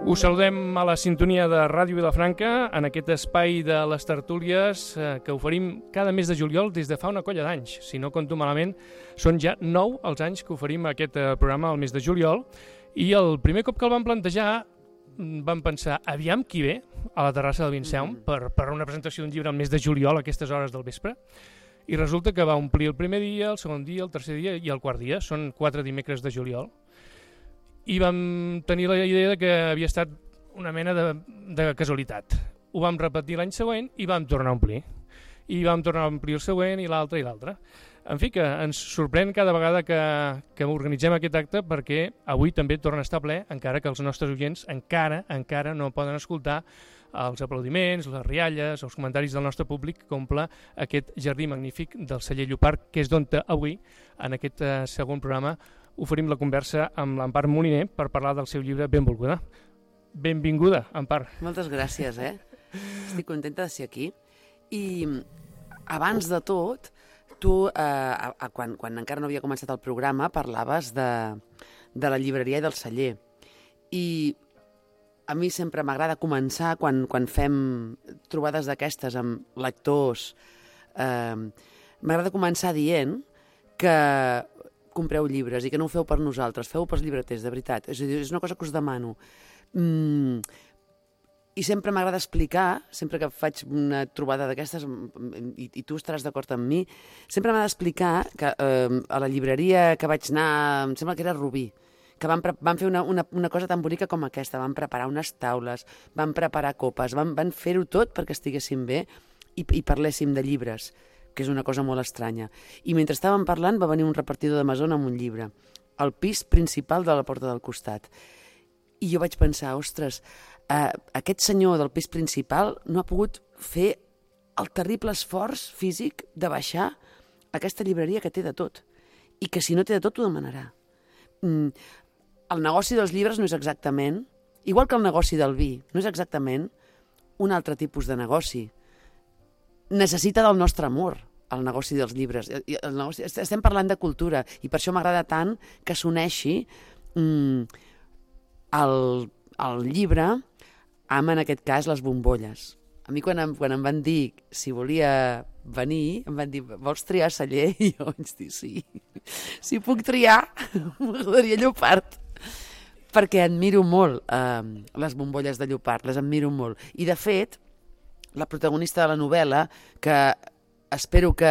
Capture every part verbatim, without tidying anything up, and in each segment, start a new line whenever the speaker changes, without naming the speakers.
Us saludem a la sintonia de Ràdio Vilafranca en aquest espai de les tertúlies eh, que oferim cada mes de juliol des de fa una colla d'anys. Si no compto malament, són ja nou els anys que oferim aquest eh, programa al mes de juliol i el primer cop que el vam plantejar vam pensar, aviam qui ve a la terrassa del Vinceum mm. per, per una presentació d'un llibre al mes de juliol a aquestes hores del vespre. I resulta que va omplir el primer dia, el segon dia, el tercer dia i el quart dia. Són quatre dimecres de juliol. I vam tenir la idea de que havia estat una mena de, de casualitat. Ho vam repetir l'any següent i vam tornar a omplir. I vam tornar a omplir el següent i l'altre i l'altre. En fi, que ens sorprèn cada vegada que, que organitzem aquest acte perquè avui també torna a estar ple, encara que els nostres oients encara encara no poden escoltar els aplaudiments, les rialles, els comentaris del nostre públic que omple aquest jardí magnífic del celler Llopart, que és d'on avui, en aquest eh, segon programa, oferim la conversa amb l'Empar Moliner per parlar del seu llibre Benvolguda. Benvinguda, Empar.
Moltes gràcies, eh? Estic contenta de ser aquí. I abans de tot, tu, eh, quan, quan encara no havia començat el programa, parlaves de, de la llibreria i del celler. I a mi sempre m'agrada començar, quan, quan fem trobades d'aquestes amb lectors, eh, m'agrada començar dient que compreu llibres i que no ho feu per nosaltres, feu pels llibreters, de veritat. És a dir, és una cosa que us demano. Mm, I sempre m'agrada explicar, sempre que faig una trobada d'aquestes, i, i tu estaràs d'acord amb mi, sempre m'ha d'explicar que eh, a la llibreria que vaig anar, em sembla que era Rubí, que van, van fer una, una, una cosa tan bonica com aquesta, van preparar unes taules, van preparar copes, van, van fer-ho tot perquè estiguéssim bé i, i parléssim de llibres, que és una cosa molt estranya. I mentre estàvem parlant va venir un repartidor d'Amazon amb un llibre, al pis principal de la porta del costat. I jo vaig pensar, ostres, eh, aquest senyor del pis principal no ha pogut fer el terrible esforç físic de baixar aquesta llibreria que té de tot. I que si no té de tot ho demanarà. Mm, el negoci dels llibres no és exactament, igual que el negoci del vi, no és exactament un altre tipus de negoci. Necessita del nostre amor, el negoci dels llibres. El negoci, estem parlant de cultura i per això m'agrada tant que s'uneixi mm, el, el llibre amb, en aquest cas, les bombolles. A mi quan em, quan em van dir si volia venir, em van dir, vols triar celler? I jo vaig dir, sí. Si puc triar, m'agradaria Llopart. Perquè admiro molt eh, les bombolles de Llopart, les admiro molt. I, de fet, la protagonista de la novel·la, que espero que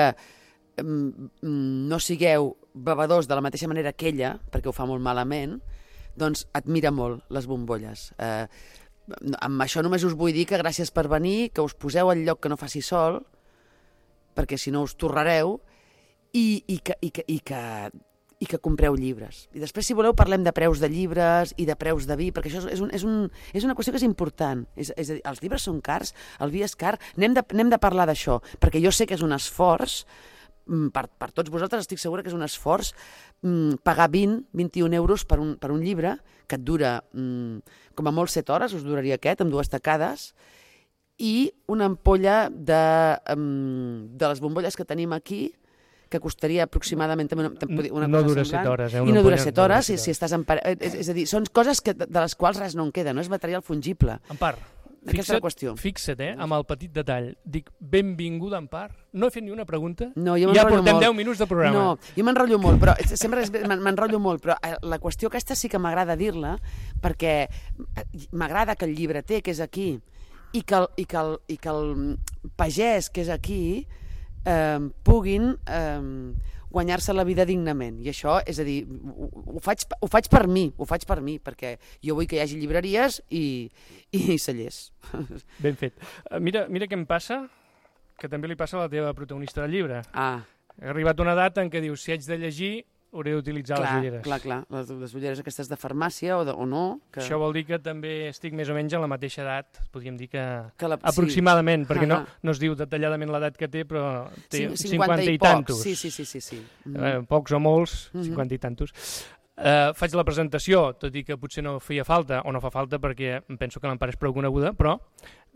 no sigueu bevedors de la mateixa manera que ella, perquè ho fa molt malament, doncs admira molt les bombolles. Eh, amb això només us vull dir que gràcies per venir, que us poseu al lloc que no faci sol, perquè si no us torrareu, i, i, que, i, que, i, que, i que compreu llibres. I després, si voleu, parlem de preus de llibres i de preus de vi, perquè això és, un, és, un, és una qüestió que és important. És, és a dir, els llibres són cars, el vi és car, anem de, anem de parlar d'això, perquè jo sé que és un esforç, per, per tots vosaltres estic segura que és un esforç pagar vint, vint-i-un euros per un, per un llibre, que et dura com a molt set hores, us duraria aquest, amb dues tacades, i una ampolla de, de les bombolles que tenim aquí, que costaria aproximadament una, una
no
cosa
dura
semblant.
set hores, eh?
I no dura set hores, si, si estàs en pare... és, és a dir, són coses que, de les quals res no en queda, no és material fungible.
Empar, fixa't, fixa't eh, amb el petit detall. Dic, benvinguda, Empar. No he fet ni una pregunta,
no, jo
ja portem
molt.
deu minuts de programa.
No, jo m'enrotllo molt, però sempre m'enrotllo molt, però la qüestió aquesta sí que m'agrada dir-la, perquè m'agrada que el llibreter, que és aquí, i que el, i que el, i que el pagès, que és aquí, Eh, puguin eh, guanyar-se la vida dignament. I això, és a dir, ho, ho, faig, ho faig per mi, ho faig per mi, perquè jo vull que hi hagi llibreries i, i cellers.
Ben fet. Uh, mira, mira què em passa, que també li passa a la teva protagonista del llibre.
Ah.
Ha arribat una data en què dius, si haig de llegir, hauré d'utilitzar les ulleres.
Clar, clar, les, les ulleres aquestes de farmàcia o, de, o no. Que...
Això vol dir que també estic més o menys a la mateixa edat, podríem dir que,
que la...
aproximadament, sí. Perquè
uh -huh.
no, no es diu detalladament l'edat que té, però té
cinquanta,
cinquanta i,
i
tantos.
Sí, sí, sí. sí, sí. Mm
-hmm. eh, pocs o molts,
mm -hmm.
cinquanta i tantos. Eh, faig la presentació, tot i que potser no feia falta, o no fa falta perquè em penso que l'Empar és prou coneguda, però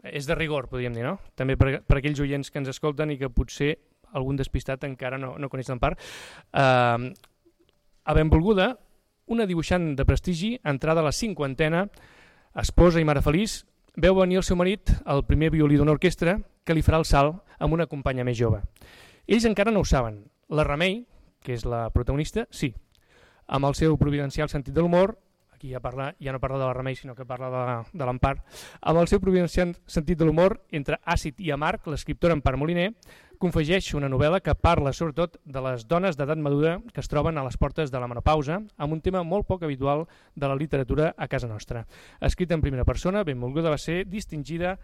és de rigor, podríem dir, no? També per, per aquells oients que ens escolten i que potser algun despistat encara no, no coneix l'Empar. Eh, A Benvolguda, una dibuixant de prestigi, entrada a la cinquantena, esposa i mare feliç, veu venir el seu marit, el primer violí d'una orquestra, que li farà el salt amb una companya més jove. Ells encara no ho saben. La Remei, que és la protagonista, sí. Amb el seu providencial sentit de l'humor, aquí ja, parla, ja no parla de la Remei, sinó que parla de, de l'Empar, amb el seu providencial sentit de l'humor, entre àcid i amarg, l'escriptora Empar Moliner confegeix una novel·la que parla sobretot de les dones d'edat madura que es troben a les portes de la menopausa, amb un tema molt poc habitual de la literatura a casa nostra. Escrita en primera persona, benvolguda va ser distingida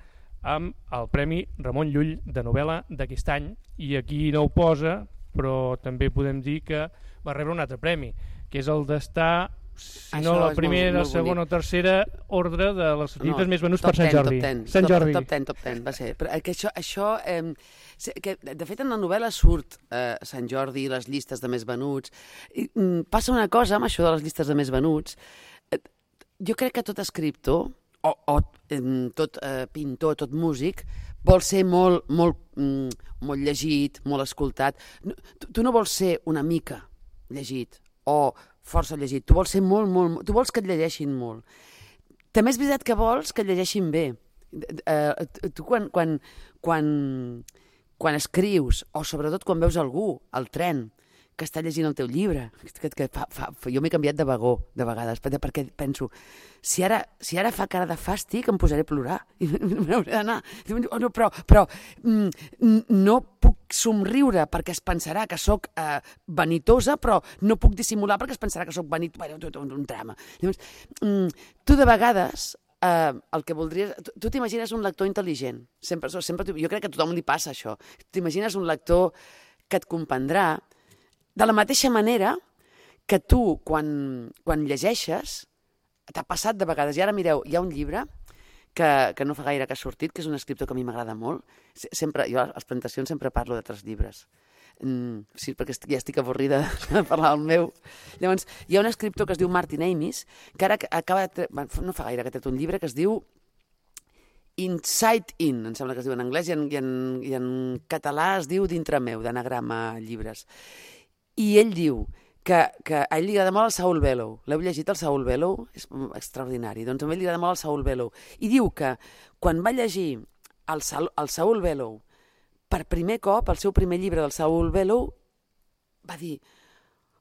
amb el Premi Ramon Llull de novel·la d'aquest any, i aquí no ho posa, però també podem dir que va rebre un altre premi, que és el d'estar, si no la primera, segona o tercera ordre de les llibres no, més venuts per Sant Jordi.
Top ten,
Sant Jordi.
Top ten, top ten, va ser. Però que això, això eh, que, de fet, en la novel·la surt eh, Sant Jordi, les llistes de més venuts. I, mm, passa una cosa amb això de les llistes de més venuts. Eh, jo crec que tot escriptor, o, o eh, tot eh, pintor, tot músic, vol ser molt, molt, mm, molt llegit, molt escoltat. No, tu, tu no vols ser una mica llegit o força llegit, tu vols ser molt, molt, tu vols que et llegeixin molt. També és veritat que vols que et llegeixin bé. Uh, tu quan, quan, quan, quan escrius, o sobretot quan veus algú al tren que està llegint el teu llibre, que, que fa, fa, jo m'he canviat de vagó de vegades, perquè penso, si ara, si ara fa cara de fàstic em posaré a plorar, i m'hauré d'anar. Oh, no, però però mm, no puc somriure perquè es pensarà que sóc eh, vanitosa, però no puc dissimular perquè es pensarà que sóc vanitosa. Bueno, tot un, un drama. Llavors, mm, tu de vegades eh, el que voldries... Tu, tu t'imagines un lector intel·ligent. Sempre, sempre, jo crec que a tothom li passa això. T'imagines un lector que et comprendrà de la mateixa manera que tu, quan, quan llegeixes, t'ha passat de vegades. I ara, mireu, hi ha un llibre que, que no fa gaire que ha sortit, que és un escriptor que a mi m'agrada molt. Sempre, jo a les presentacions sempre parlo d'altres llibres. Mm, sí, perquè estic, ja estic avorrida de parlar del meu. Llavors, hi ha un escriptor que es diu Martin Amis, que ara acaba de... no fa gaire que ha tret un llibre que es diu Inside In, em sembla que es diu en anglès, i en, i en, i en català es diu Dintre meu, d'Anagrama Llibres. I ell diu que, que a ell li agrada molt el Saul Bellow. L'heu llegit, el Saul Bellow? És extraordinari. Doncs a ell li agrada molt el Saul Bellow. I diu que quan va llegir el, Saul, el Saul Bellow per primer cop, el seu primer llibre del Saul Bellow, va dir,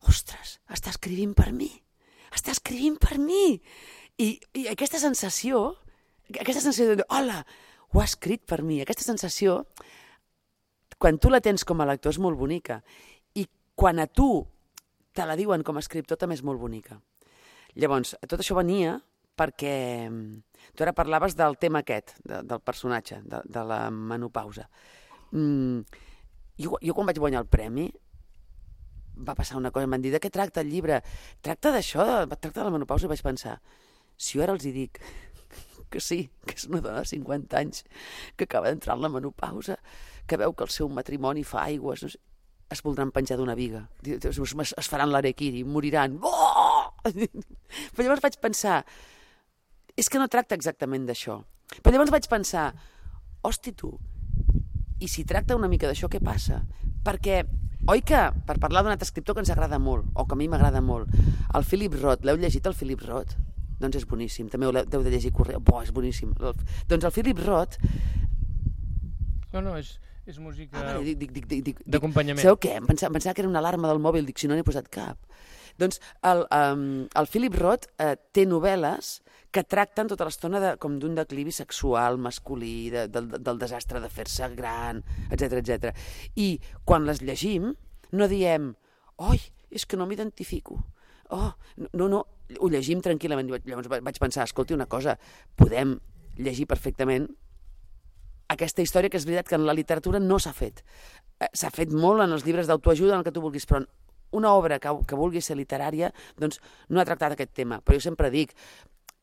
ostres, està escrivint per mi, està escrivint per mi. I, i aquesta sensació, aquesta sensació de, hola, ho ha escrit per mi, aquesta sensació, quan tu la tens com a lector és molt bonica. Quan a tu te la diuen com a escriptor també és molt bonica. Llavors, tot això venia perquè tu ara parlaves del tema aquest, de, del personatge, de, de la menopausa. Mm, jo, jo quan vaig guanyar el premi va passar una cosa, em van dir, de què tracta el llibre? Tracta d'això, tracta de la menopausa, i vaig pensar, si jo ara els hi dic que sí, que és una dona de cinquanta anys que acaba d'entrar en la menopausa, que veu que el seu matrimoni fa aigües, no sé, es voldran penjar d'una viga, es faran l'harakiri, moriran. Oh! Però llavors vaig pensar, és que no tracta exactament d'això. Però llavors vaig pensar, hosti tu, i si tracta una mica d'això, què passa? Perquè, oi que, per parlar d'un altre escriptor que ens agrada molt, o que a mi m'agrada molt, el Philip Roth, l'heu llegit el Philip Roth? Doncs és boníssim, també ho heu de llegir correu, bo, és boníssim. Doncs el Philip Roth...
No, no, és... És música
ah, vale,
d'acompanyament.
Sabeu què? Em pensava, pensava que era una alarma del mòbil, dic, si no n'he posat cap. Doncs el, um, el Philip Roth uh, té novel·les que tracten tota l'estona de, com d'un declivi sexual, masculí, de, del, del desastre de fer-se gran, etcètera, etcètera. I quan les llegim, no diem, oi, és que no m'identifico. Oh, no, no, ho llegim tranquil·lament. Llavors vaig pensar, escolti, una cosa, podem llegir perfectament aquesta història, que és veritat que en la literatura no s'ha fet. S'ha fet molt en els llibres d'autoajuda, en el que tu vulguis, però una obra que, que vulgui ser literària, doncs no ha tractat aquest tema. Però jo sempre dic,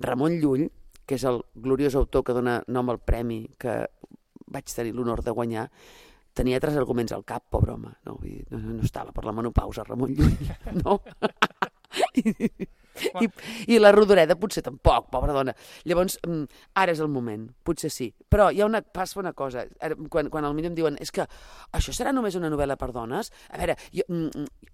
Ramon Llull, que és el gloriós autor que dona nom al premi, que vaig tenir l'honor de guanyar, tenia tres arguments al cap, pobre home. No, no, no estava per la menopausa, Ramon Llull, no? I, I la Rodoreda potser tampoc, pobra dona. Llavors, ara és el moment, potser sí. Però hi ha una, passa una cosa, quan, quan al millor em diuen és que això serà només una novel·la per dones? A veure, jo,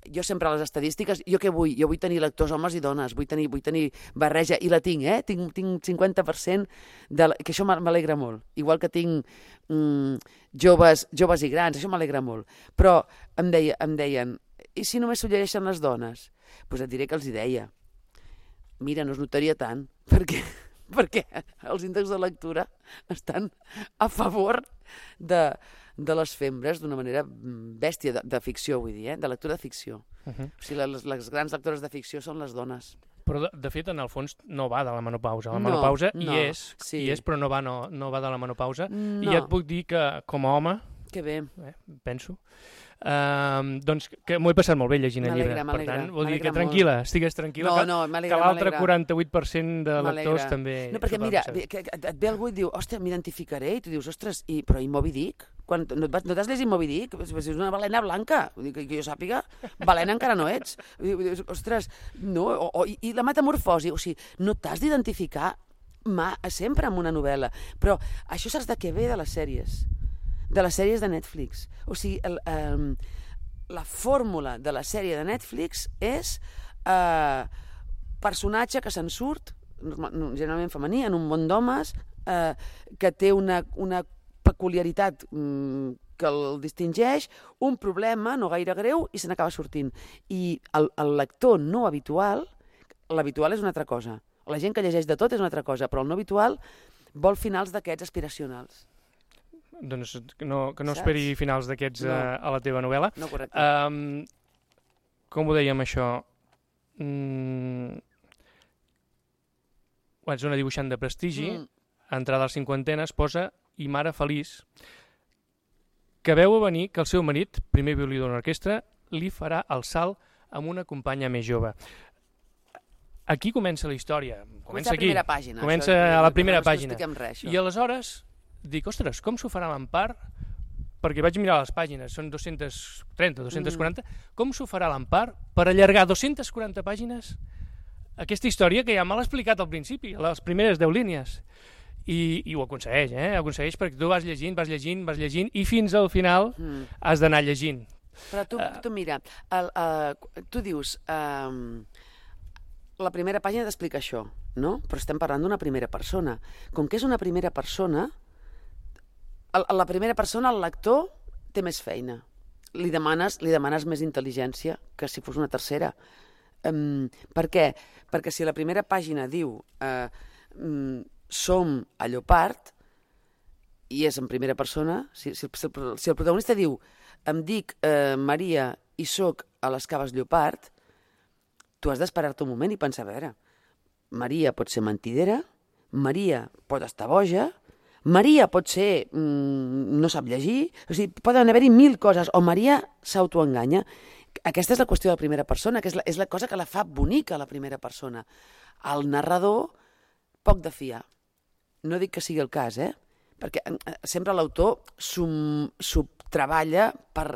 jo sempre a les estadístiques, jo què vull? Jo vull tenir lectors homes i dones, vull tenir, vull tenir barreja, i la tinc, eh? Tinc, tinc cinquanta per cent, de la, que això m'alegra molt. Igual que tinc mm, joves, joves i grans, això m'alegra molt. Però em, deia, em deien, i si només s'ho llegeixen les dones? Doncs pues et diré que els hi deia. Mira, no es notaria tant, perquè, perquè els índexs de lectura estan a favor de, de les fembres d'una manera bèstia, de, de ficció, vull dir, eh? De lectura de ficció. Uh -huh. O sigui, les, les grans lectores de ficció són les dones.
Però, de, de fet, en el fons, no va de la menopausa. La menopausa no, no, hi és, sí. hi és, però no va, no, no va de la menopausa. No. I ja et puc dir que, com a home,
que bé.
Eh, penso, Uh, doncs que m'ho he passat molt bé llegint el llibre. Per tant, vol dir que tranquil·la, molt. Estigues tranquil·la, no, no, que l'altre quaranta-vuit per cent de lectors també...
No, perquè mira, que et ve algú i diu, hòstia, m'identificaré, i tu dius, ostres, i, però i Moby Dick? Quan, no, no t'has llegit Moby Dick? És una balena blanca, vull dir, que, que jo sàpiga, balena encara no ets. Dius, ostres, no, o, o, i, i la metamorfosi, o sigui, no t'has d'identificar mà, sempre amb una novel·la, però això saps de què ve de les sèries? De les sèries de Netflix. O sigui, el, el, la fórmula de la sèrie de Netflix és eh, personatge que se'n surt, generalment femení, en un món d'homes, eh, que té una, una peculiaritat mm, que el distingeix, un problema no gaire greu i se n'acaba sortint. I el, el lector no habitual, l'habitual és una altra cosa. La gent que llegeix de tot és una altra cosa, però el no habitual vol finals d'aquests aspiracionals.
Doncs que no, que no esperi finals d'aquests no. a, a la teva novel·la.
No, correcte.
Um, com ho dèiem, això? Mm... Ets una dibuixant de prestigi, mm. entrada a la cinquantena, esposa i mare feliç, que veu a venir que el seu marit, primer violí d'una orquestra, li farà el salt amb una companya més jove. Aquí comença la història. Comença aquí.
A la primera pàgina.
Comença a la primera pàgina.
Res,
I aleshores... dic, ostres, com s'ho farà l'Empar? Perquè vaig mirar les pàgines, són dos-centes trenta, dos-centes quaranta, mm. com s'ho farà l'Empar per allargar dos-centes quaranta pàgines aquesta història que ja me l'ha explicat al principi, a les primeres deu línies. I, i ho aconsegueix, eh? Ho aconsegueix perquè tu vas llegint, vas llegint, vas llegint, i fins al final mm. has d'anar llegint.
Però tu, uh, tu mira, el, uh, tu dius... Uh, la primera pàgina t'explica això, no? Però estem parlant d'una primera persona. Com que és una primera persona... A la primera persona el lector té més feina. Li demanes, li demanes més intel·ligència que si fos una tercera. Um, per què? Perquè si la primera pàgina diu uh, um, som a Llopart i és en primera persona, si, si, si, el, si el protagonista diu em dic uh, Maria i soc a les Caves Llopart, tu has d'esperar-te un moment i pensar, a veure, Maria pot ser mentidera, Maria pot estar boja, Maria pot ser... Mm, no sap llegir... O sigui, poden haver-hi mil coses. O Maria s'autoenganya. Aquesta és la qüestió de la primera persona, que és la, és la cosa que la fa bonica, la primera persona. El narrador, poc de fiar. No dic que sigui el cas, eh? Perquè eh, sempre l'autor s'ho treballa per,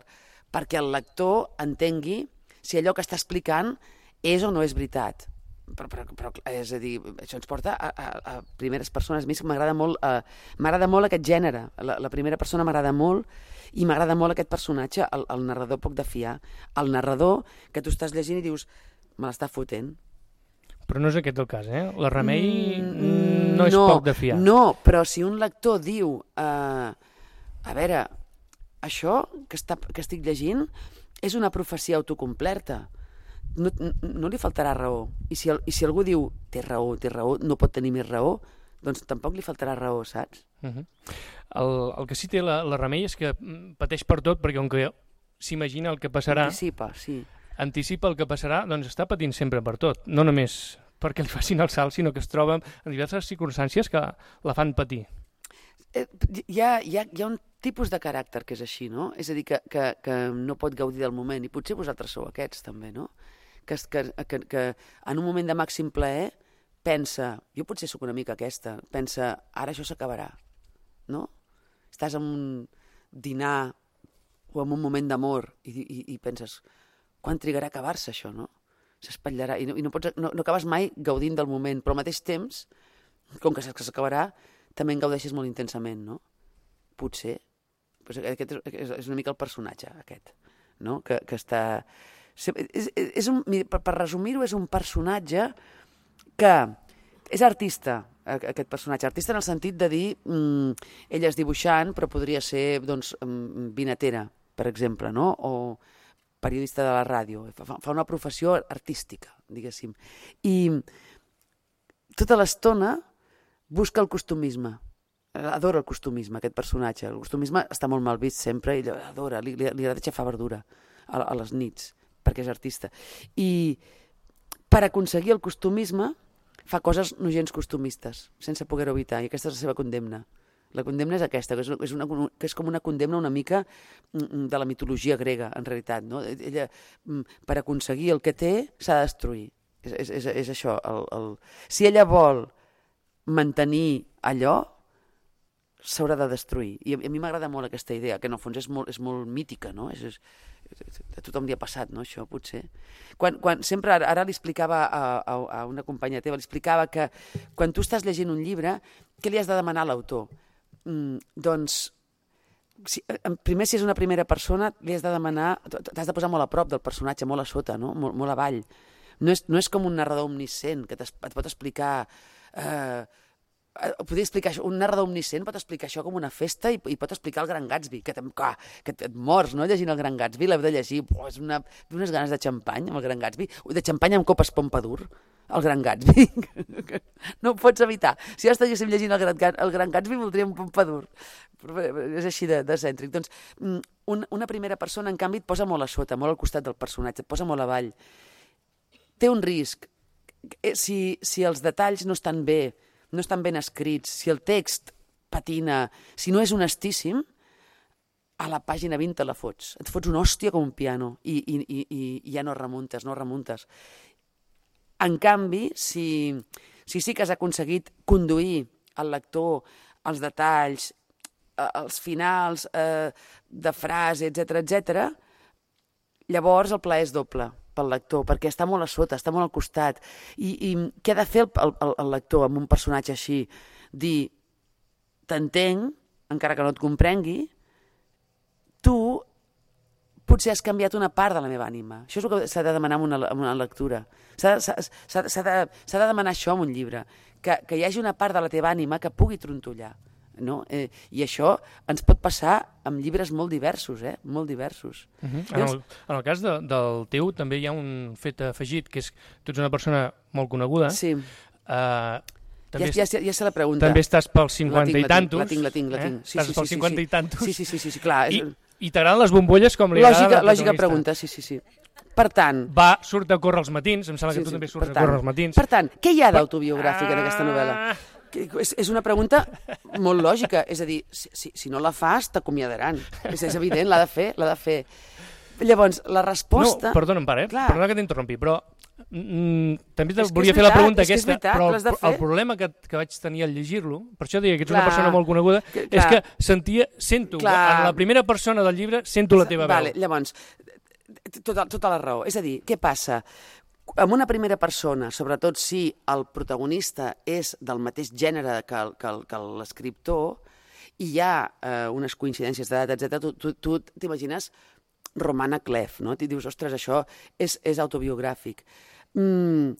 perquè el lector entengui si allò que està explicant és o no és veritat. Però, però, però és a dir, això ens porta a, a, a primeres persones. A mi m'agrada molt, uh, m'agrada molt aquest gènere. La, la primera persona m'agrada molt i m'agrada molt aquest personatge, el, el narrador poc de fiar. El narrador que tu estàs llegint i dius, me l'està fotent.
Però no és aquest el cas, eh? La Remei mm, no és
no,
poc de fiar.
No, però si un lector diu, uh, a veure, això que, està, que estic llegint és una profecia autocomplerta. No, no, no li faltarà raó. I si, el, I si algú diu té raó, té raó, no pot tenir més raó, doncs tampoc li faltarà raó, saps?
Uh -huh. el, el que sí té la, la Remei és que pateix per tot, perquè com que s'imagina el que passarà...
Anticipa, sí.
Anticipa el que passarà, doncs està patint sempre per tot. No només perquè li facin el salt, sinó que es troba en diverses circumstàncies que la fan patir.
Eh, hi, ha, hi, ha, hi ha un tipus de caràcter que és així, no? És a dir, que, que, que no pot gaudir del moment, i potser vosaltres sou aquests també, no? Que, que, que, que en un moment de màxim plaer pensa, jo potser sóc una mica aquesta, pensa, ara això s'acabarà, no? Estàs en un dinar o en un moment d'amor i, i, i penses, quan trigarà a acabar-se això, no? s'espatllarà, i, no, i no, pots, no, no acabes mai gaudint del moment, però al mateix temps, com que saps que s'acabarà, també en gaudeixes molt intensament, no? Potser. Pues aquest és, és una mica el personatge, aquest, no? Que, que està... És, és un, per, per resumir-ho, és un personatge que és artista, aquest personatge. Artista en el sentit de dir, mmm, ella és dibuixant, però podria ser, doncs, vinatera, per exemple, no? O periodista de la ràdio. Fa, fa una professió artística, diguéssim. I tota l'estona busca el costumisme. Adora el costumisme, aquest personatge. El costumisme està molt mal vist sempre, i adora, li, li, li agrada xafar verdura a, a les nits, perquè és artista. I per aconseguir el costumisme fa coses no gens costumistes, sense poder-ho evitar, i aquesta és la seva condemna. La condemna és aquesta, que és, és, una, que és com una condemna una mica de la mitologia grega, en realitat. No? Ella, per aconseguir el que té, s'ha de destruir. És, és, és, és això. El, el... Si ella vol mantenir allò, s'haurà de destruir. I a, a mi m'agrada molt aquesta idea, que en el fons és molt, és molt mítica, no? És, és, a tothom li ha passat, no, això, potser. Quan, quan, sempre, ara, ara li explicava a, a, a una companya teva, li explicava que quan tu estàs llegint un llibre, què li has de demanar a l'autor? Mm, doncs, si, primer, si és una primera persona, li has de demanar, t'has de posar molt a prop del personatge, molt a sota, no? Molt, molt avall. No és, no és com un narrador omniscient, que et pot explicar... Eh, podria explicar això, un narrador omniscient pot explicar això com una festa i, i pot explicar el Gran Gatsby, que, que, que et mors, no?, llegint el Gran Gatsby, l'heu de llegir, oh, és una, unes ganes de xampany amb el Gran Gatsby, de xampany amb copes Pompadour, el Gran Gatsby, no ho pots evitar. Si ara estiguéssim llegint el Gran, el Gran Gatsby voldríem Pompadour, és així de, de cèntric. Doncs un, una primera persona, en canvi, et posa molt a sota, molt al costat del personatge, et posa molt avall. Té un risc, si, si els detalls no estan bé, no estan ben escrits, si el text patina, si no és honestíssim, a la pàgina vint te la fots. Et fots una hòstia com un piano i, i, i, i ja no remuntes, no remuntes. En canvi, si, si sí que has aconseguit conduir el lector als detalls, als finals eh, de frase, etcètera, etcètera, llavors el plaer és doble pel lector, perquè està molt a sota, està molt al costat. I, i què ha de fer el, el, el lector amb un personatge així? Dir, t'entenc, encara que no et comprengui, tu potser has canviat una part de la meva ànima. Això és el que s'ha de demanar en una, en una lectura. S'ha de, de demanar això en un llibre, que, que hi hagi una part de la teva ànima que pugui trontollar. No? Eh, I això ens pot passar amb llibres molt diversos, eh? Molt diversos.
Uh -huh. en, el, en el cas de, del teu també hi ha un fet afegit, que és que tu ets una persona molt coneguda.
Sí.
Uh, també
ja, ja, ja sé la pregunta.
També estàs pels cinquanta
tinc,
i tantos.
La tinc, la tinc, la tinc.
Eh? Sí, estàs sí, pels sí, cinquanta
sí.
i tantos.
Sí, sí, sí, sí, sí clar.
I, i t'agraden les bombolles com li
lògica,
agrada la
lògica pregunta, sí, sí, sí. Per tant...
Va, surt a córrer els matins, em sembla
sí,
que tu
sí,
també surts
tant,
a córrer els matins.
Per tant, què hi ha d'autobiogràfic en aquesta novel·la? És, és una pregunta molt lògica, és a dir, si, si, si no la fas, t'acomiadaran. És, és evident, l'ha de fer, l'ha de fer. Llavors, la resposta...
No, perdona, pare, eh?
Clar.
Perdona que t'interrompi, però mm, també
és
volia
és
fer
veritat,
la pregunta
és
aquesta,
veritat,
però
el,
el problema que, que vaig tenir al llegir-lo, per això deia que ets
clar,
una persona molt coneguda,
que,
és que sentia, sento,
clar,
en la primera persona del llibre, sento la teva
vale,
veu.
Llavors, tota, tota la raó. És a dir, què passa? Amb una primera persona, sobretot si el protagonista és del mateix gènere que, que, que l'escriptor, i hi ha eh, unes coincidències d'edat, etcètera, tu, tu, tu t'imagines Romana Clef, no? T'hi dius, ostres, això és, és autobiogràfic. Mm,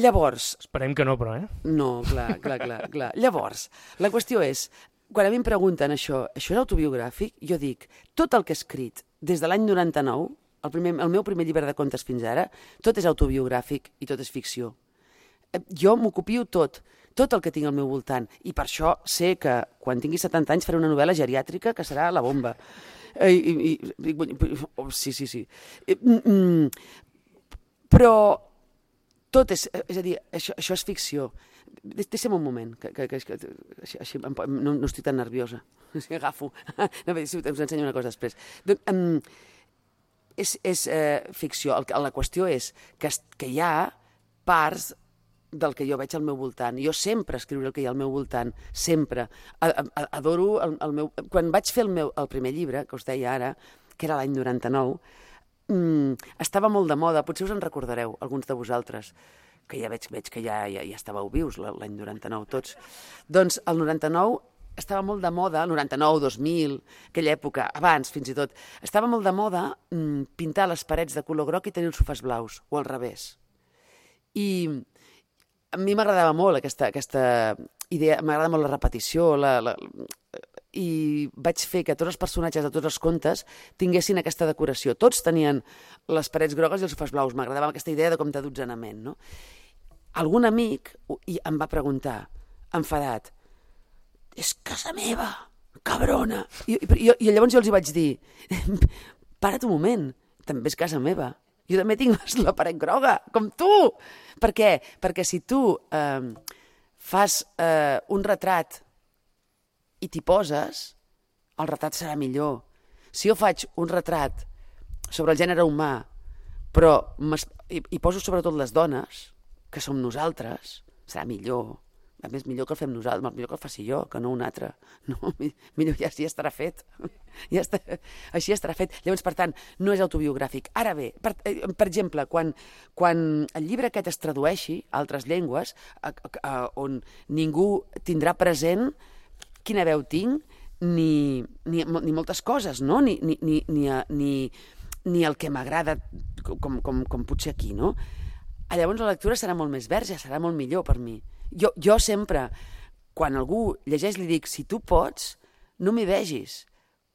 llavors...
Esperem que no, però, eh?
No, clar, clar, clar, clar. Llavors, la qüestió és, quan a mi em pregunten això, això és autobiogràfic? Jo dic, tot el que he escrit des de l'any noranta-nou, el, primer, el meu primer llibre de contes fins ara, tot és autobiogràfic i tot és ficció. Jo m'ocupio tot, tot el que tinc al meu voltant, i per això sé que quan tingui setanta anys faré una novel·la geriàtrica que serà la bomba. I, i, i, oh, sí, sí, sí. Mm, però tot és, és a dir, això, això és ficció. Deixa'm un moment, que, que, que, que així, així, no, no estic tan nerviosa. Agafo. No, us ensenyo una cosa després. Doncs, um, és és eh, ficció. El, la qüestió és que, que hi ha parts del que jo veig al meu voltant. Jo sempre escriuré el que hi ha al meu voltant, sempre. Adoro el, el meu... Quan vaig fer el, meu, el primer llibre, que us deia ara, que era l'any noranta-nou, mm, estava molt de moda, potser us en recordareu, alguns de vosaltres, que ja veig, veig que ja, ja, ja estàveu vius l'any noranta-nou tots. Doncs el noranta-nou estava molt de moda, el noranta-nou, dos mil, aquella època, abans fins i tot, estava molt de moda mm, pintar les parets de color groc i tenir els sofàs blaus, o al revés. I a mi m'agradava molt aquesta, aquesta idea, m'agrada molt la repetició, la, la, i vaig fer que tots els personatges de tots els contes tinguessin aquesta decoració. Tots tenien les parets grogues i els sofàs blaus. M'agradava aquesta idea de com de dotzenament, no? Algun amic em va preguntar, enfadat, és casa meva, cabrona. I, i, i llavors jo els hi vaig dir, para't un moment, també és casa meva. Jo també tinc la paret groga, com tu. Per què? Perquè si tu eh, fas eh, un retrat i t'hi poses, el retrat serà millor. Si jo faig un retrat sobre el gènere humà, però hi, hi poso sobretot les dones, que som nosaltres, serà millor. A més, millor que el fem nosaltres, millor que el faci jo, que no un altre. No, millor ja, ja estarà fet. Ja està, així estarà fet. Llavors, per tant, no és autobiogràfic. Ara bé, per, per exemple, quan, quan el llibre aquest es tradueixi a altres llengües, a, a, a, on ningú tindrà present quina veu tinc, ni, ni, ni moltes coses, no? Ni, ni, ni, ni, ni, ni el que m'agrada, com, com, com potser aquí, no? Llavors la lectura serà molt més verge, serà molt millor per mi. Jo, jo sempre, quan algú llegeix, li dic, si tu pots, no m'hi vegis,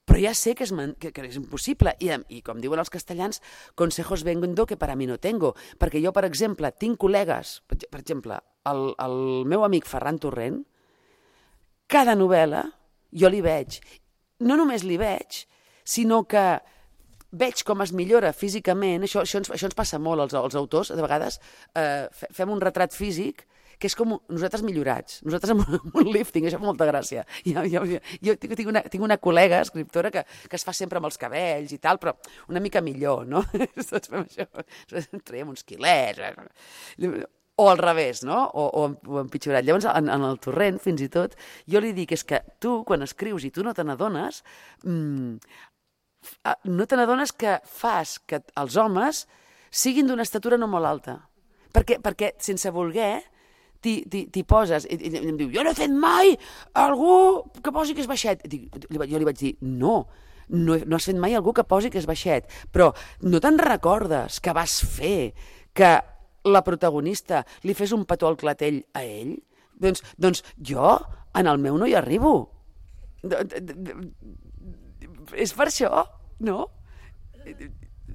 però ja sé que és, que, que és impossible. I, I com diuen els castellans, consejos vengo que para mí no tengo. Perquè jo, per exemple, tinc col·legues, per exemple, el, el meu amic Ferran Torrent, cada novel·la jo li veig. No només li veig, sinó que veig com es millora físicament. Això, això, ens, això ens passa molt als, als autors, de vegades eh, fem un retrat físic que és com nosaltres millorats, nosaltres amb un, amb un lifting, això fa molta gràcia. Jo, jo, jo tinc, una, tinc una col·lega escriptora que, que es fa sempre amb els cabells i tal, però una mica millor, no? Tots fem això, traiem uns quilets, o al revés, no? O, o, o empitjorat. Llavors, en, en el Torrent, fins i tot, jo li dic, és que tu, quan escrius i tu no te n'adones, mmm, no te n'adones que fas que els homes siguin d'una estatura no molt alta. Perquè, perquè sense voler, t'hi poses, i, i em diu, jo no he fet mai algú que posi que és baixet. Dic, jo li vaig dir, no, no, no has fet mai algú que posi que és baixet, però no te'n recordes que vas fer que la protagonista li fes un petó al clatell a ell? Doncs, doncs jo, en el meu no hi arribo. És per això, no?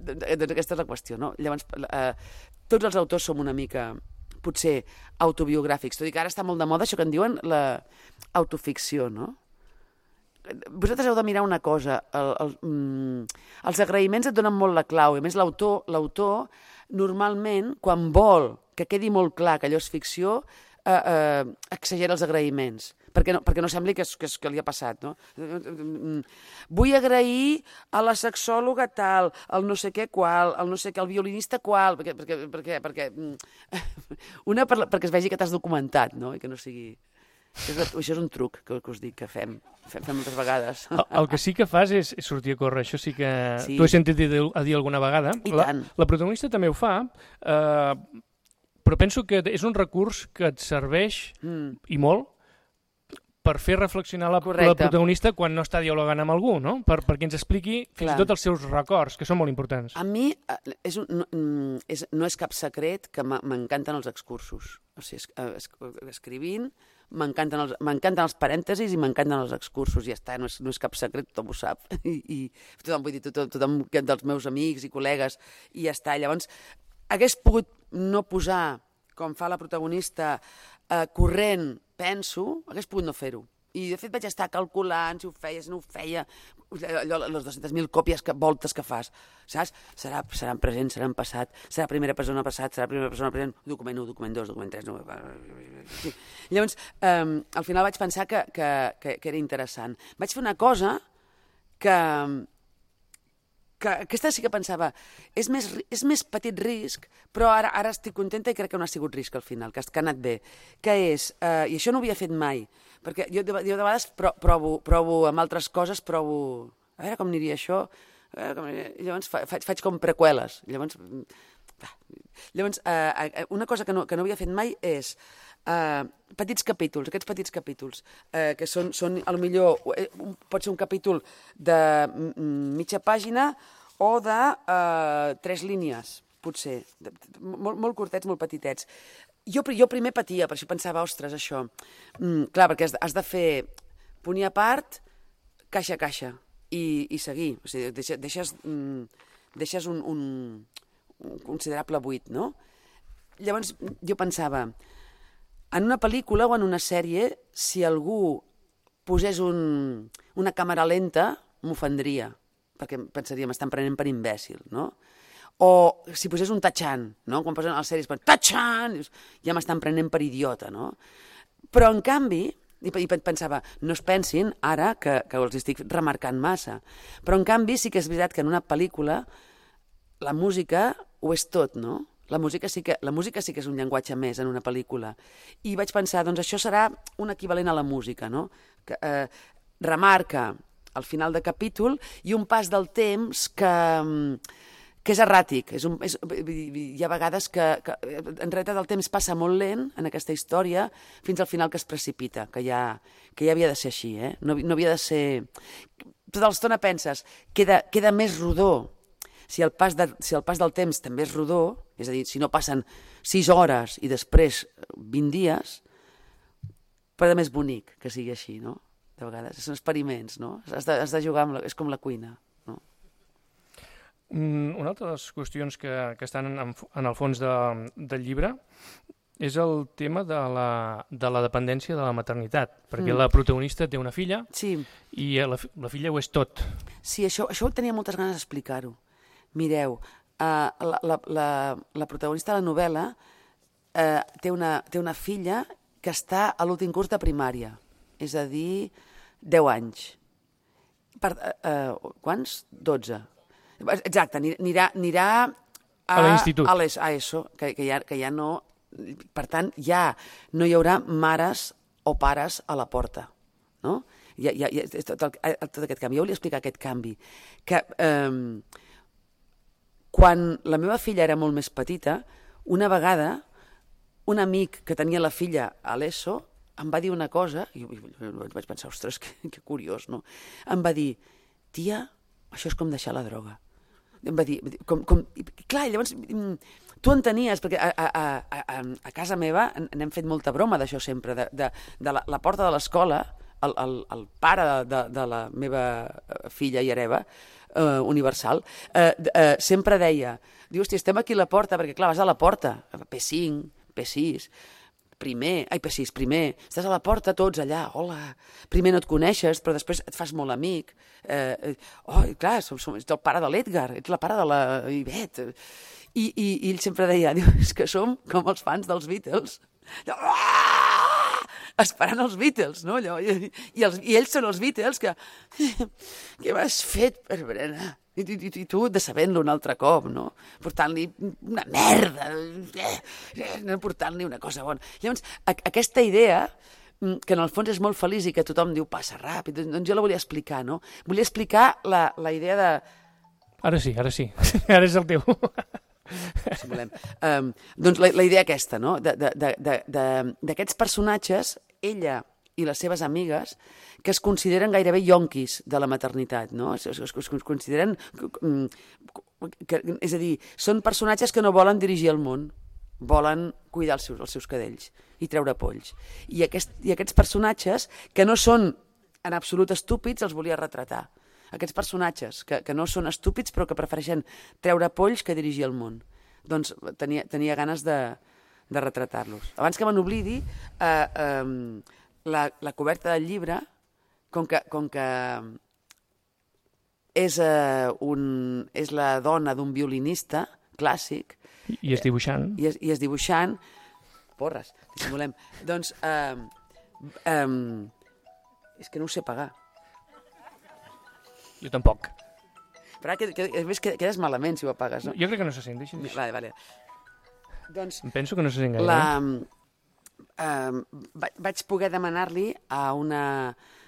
Doncs aquesta és la qüestió, no? Llavors, eh, tots els autors som una mica, potser, autobiogràfics. Tot i que ara està molt de moda això que en diuen l'autoficció, no? Vosaltres heu de mirar una cosa. El, el, mm, els agraïments et donen molt la clau. A més, l'autor, l'autor normalment, quan vol que quedi molt clar que allò és ficció, eh, eh, exagera els agraïments. Perquè no, perquè no sembli que, és, que, és, que li ha passat, no? Vull agrair a la sexòloga tal, al no sé què qual, al no sé què, al violinista qual, perquè, perquè, perquè, perquè, una per, perquè es vegi que t'has documentat, no? I que no sigui... Això és un truc que, que us dic que fem, fem, fem moltes vegades.
El, el que sí que fas és, és sortir a córrer, això sí que
sí.
T'ho he sentit dir, a dir alguna vegada.
I
la,
tant.
La protagonista també ho fa, eh, però penso que és un recurs que et serveix, mm. i molt, per fer reflexionar la, la protagonista quan no està dialogant amb algú, no? Per, perquè ens expliqui fins i tot els seus records, que són molt importants.
A mi és un, no, és, no és cap secret que m'encanten els excursos. O sigui, es, escrivint, m'encanten els, m'encanten els parèntesis i m'encanten els excursos, i ja està, no és, no és cap secret, tothom ho sap. I, i tothom, vull dir, tothom, tothom dels meus amics i col·legues, i ja està. Llavors, hagués pogut no posar, com fa la protagonista, eh, corrent, penso, hagués pogut no fer-ho. I, de fet, vaig estar calculant si ho feia, si no ho feia, allò, les dues-centes mil còpies, que, voltes que fas, saps? Serà, serà en present, serà en passat, serà primera persona passat, serà primera persona present, document u, document dos, document tres... No... Llavors, eh, al final vaig pensar que, que, que, que era interessant. Vaig fer una cosa que... que aquesta sí que pensava, és més, és més petit risc, però ara, ara estic contenta i crec que no ha sigut risc al final, que, que ha anat bé, que és, eh, i això no ho havia fet mai, perquè jo de, jo de vegades pro, provo, provo amb altres coses, provo, a veure com aniria això, Eh, com, llavors fa, faig, faig com preqüeles. Llavors, llavors eh, una cosa que no, que no havia fet mai és eh, petits capítols, aquests petits capítols, eh, que són, són a lo millor, eh, pot ser un capítol de mitja pàgina o de eh, tres línies, potser, de, de, molt, molt curtets, molt petitets. Jo, jo primer patia, per això pensava, ostres, això. Mm, clar, perquè has, has de fer punt i a part, caixa a caixa, i, i seguir. O sigui, deixes, deixes, mm, deixes un, un, un considerable buit, no? Llavors, jo pensava, en una pel·lícula o en una sèrie, si algú posés un, una càmera lenta, m'ofendria, perquè pensaria, m'estan prenent per imbècil, no? O si posés un tatxant, no? Quan posen a les sèries, tatxant, ja m'estan prenent per idiota, no? Però, en canvi, i pensava, no es pensin ara que, que els estic remarcant massa, però, en canvi, sí que és veritat que en una pel·lícula la música ho és tot, no? La música sí que, la música sí que és un llenguatge més en una pel·lícula. I vaig pensar, doncs això serà un equivalent a la música, no? Que eh, remarca al final de capítol i un pas del temps que... que és erràtic. És un, és, hi ha vegades que, que en realitat el temps passa molt lent en aquesta història fins al final que es precipita, que ja, que ja havia de ser així, eh? No, no havia de ser... Tota l'estona penses, queda, queda més rodó. Si el, pas de, si el pas del temps també és rodó, és a dir, si no passen sis hores i després vint dies, però és més bonic que sigui així, no? De vegades, són experiments, no? Has de, has de jugar amb la, és com la cuina.
Una altra de les qüestions que, que estan en, en el fons de, del llibre és el tema de la, de la dependència de la maternitat, perquè mm. la protagonista té una filla
sí.
i la, la filla ho és tot.
Sí, això, això tenia moltes ganes d'explicar-ho. Mireu, uh, la, la, la, la protagonista de la novel·la uh, té, una, té una filla que està a l'últim curs de primària, és a dir, deu anys. Per, uh, uh, quants? dotze. Exacte, anirà, anirà a,
a l'institut.
A l'ESO, que, que, ja, que ja no... Per tant, ja no hi haurà mares o pares a la porta, no? Ja, ja, ja, tot, el, tot aquest canvi. Jo volia explicar aquest canvi. Que eh, quan la meva filla era molt més petita, una vegada un amic que tenia la filla a l'ESO em va dir una cosa, i vaig pensar, ostres, que, que curiós, no? Em va dir, tia, això és com deixar la droga. Em va dir, com, com... clar, llavors tu entenies, perquè a, a, a, a casa meva n'hem fet molta broma d'això sempre, de, de, de la, la porta de l'escola, el, el, el pare de, de la meva filla i hereva, eh, universal, eh, eh, sempre deia, diu, hòstia, estem aquí a la porta, perquè clar, vas a la porta, P cinc, P sis, primer, ai, P sis, primer, estàs a la porta, tots allà, hola, primer no et coneixes, però després et fas molt amic, eh, oh, clar, som, som, ets el pare de l'Edgar, ets la pare de la Ivet, i, i, i ell sempre deia, diu, és que som com els fans dels Beatles, ah! Esperant els Beatles, no? Allò, i, i, els, I ells són els Beatles que, què m'has fet per berenar? I, i, i tu decebent-lo un altre cop, no? Portant-li una merda, no portant-li una cosa bona. Llavors, a, aquesta idea, que en el fons és molt feliç i que tothom diu passa ràpid, doncs jo la volia explicar, no? Volia explicar la, la idea de...
Ara sí, ara sí. Ara és el teu.
Si volem. Um, doncs la, la idea aquesta, no? D'aquests personatges, ella i les seves amigues, que es consideren gairebé yonquis de la maternitat, no? Es, es, es consideren... Que, és a dir, són personatges que no volen dirigir el món, volen cuidar els seus, els seus cadells i treure polls. I, aquest, I aquests personatges, que no són en absolut estúpids, els volia retratar. Aquests personatges que, que no són estúpids però que prefereixen treure polls que dirigir el món. Doncs tenia, tenia ganes de, de retratar-los. Abans que me n'oblidi, eh, eh, la, la coberta del llibre, com que, com que és, eh, un, és la dona d'un violinista clàssic...
I és dibuixant.
I és, i és dibuixant. Porres, dissimulem. Doncs, eh, eh, és que no ho sé pagar.
Jo tampoc.
Però ara que, que, que, quedes malament si ho apagues, no?
Jo crec que no se sent, deixa'm dir.
Vale, vale. Doncs...
Em penso que no se sent gaire.
La, eh, vaig poder demanar-li a una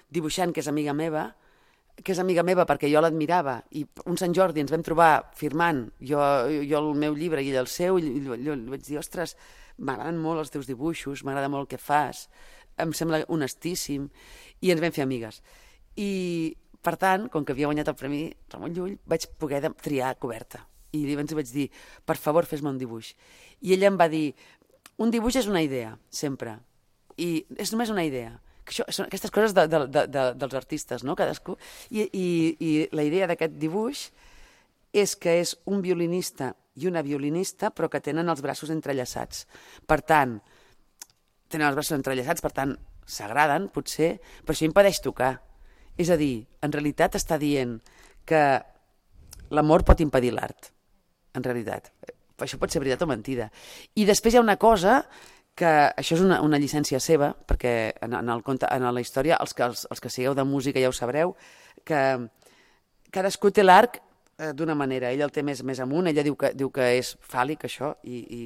dibuixant que és amiga meva, que és amiga meva perquè jo l'admirava, i un Sant Jordi ens vam trobar firmant, jo, jo el meu llibre i ell el seu, i jo li vaig dir, ostres, m'agraden molt els teus dibuixos, m'agrada molt el que fas, em sembla honestíssim, i ens vam fer amigues. I, per tant, com que havia guanyat el Premi Ramon Llull, vaig poder triar coberta. I llavors vaig dir, per favor, fes-me un dibuix. I ella em va dir, un dibuix és una idea, sempre, i és només una idea. Això, són aquestes coses de, de, de, de, dels artistes, no? Cadascú. I, i, i la idea d'aquest dibuix és que és un violinista i una violinista, però que tenen els braços entrellaçats. Per tant, tenen els braços entrellaçats, per tant, s'agraden, potser, però això impedeix tocar. És a dir, en realitat està dient que l'amor pot impedir l'art, en realitat. Això pot ser veritat o mentida. I després hi ha una cosa que això és una, una llicència seva, perquè en, en, el conte, en la història, els que, els, els que sigueu de música ja ho sabreu, que cadascú té l'arc eh, d'una manera. Ell el té més, més amunt, ella diu que, diu que és fàl·lic, això, i, i,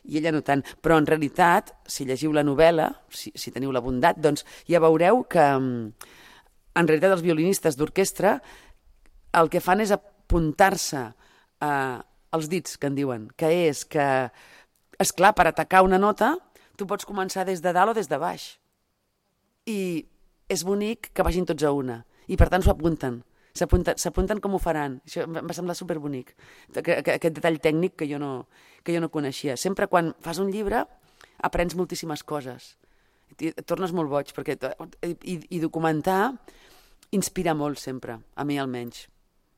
i ella no tant. Però en realitat, si llegiu la novel·la, si, si teniu la bondat, doncs ja veureu que en realitat els violinistes d'orquestra el que fan és apuntar-se eh, els dits, que en diuen, que és que, esclar, per atacar una nota, tu pots començar des de dalt o des de baix. I és bonic que vagin tots a una. I per tant s'ho apunten. S'apunten com ho faran. Això em va semblar superbonic. Aquest detall tècnic que jo no, que jo no coneixia. Sempre quan fas un llibre aprens moltíssimes coses. Et tornes molt boig. Perquè, i, I documentar inspira molt sempre, a mi almenys.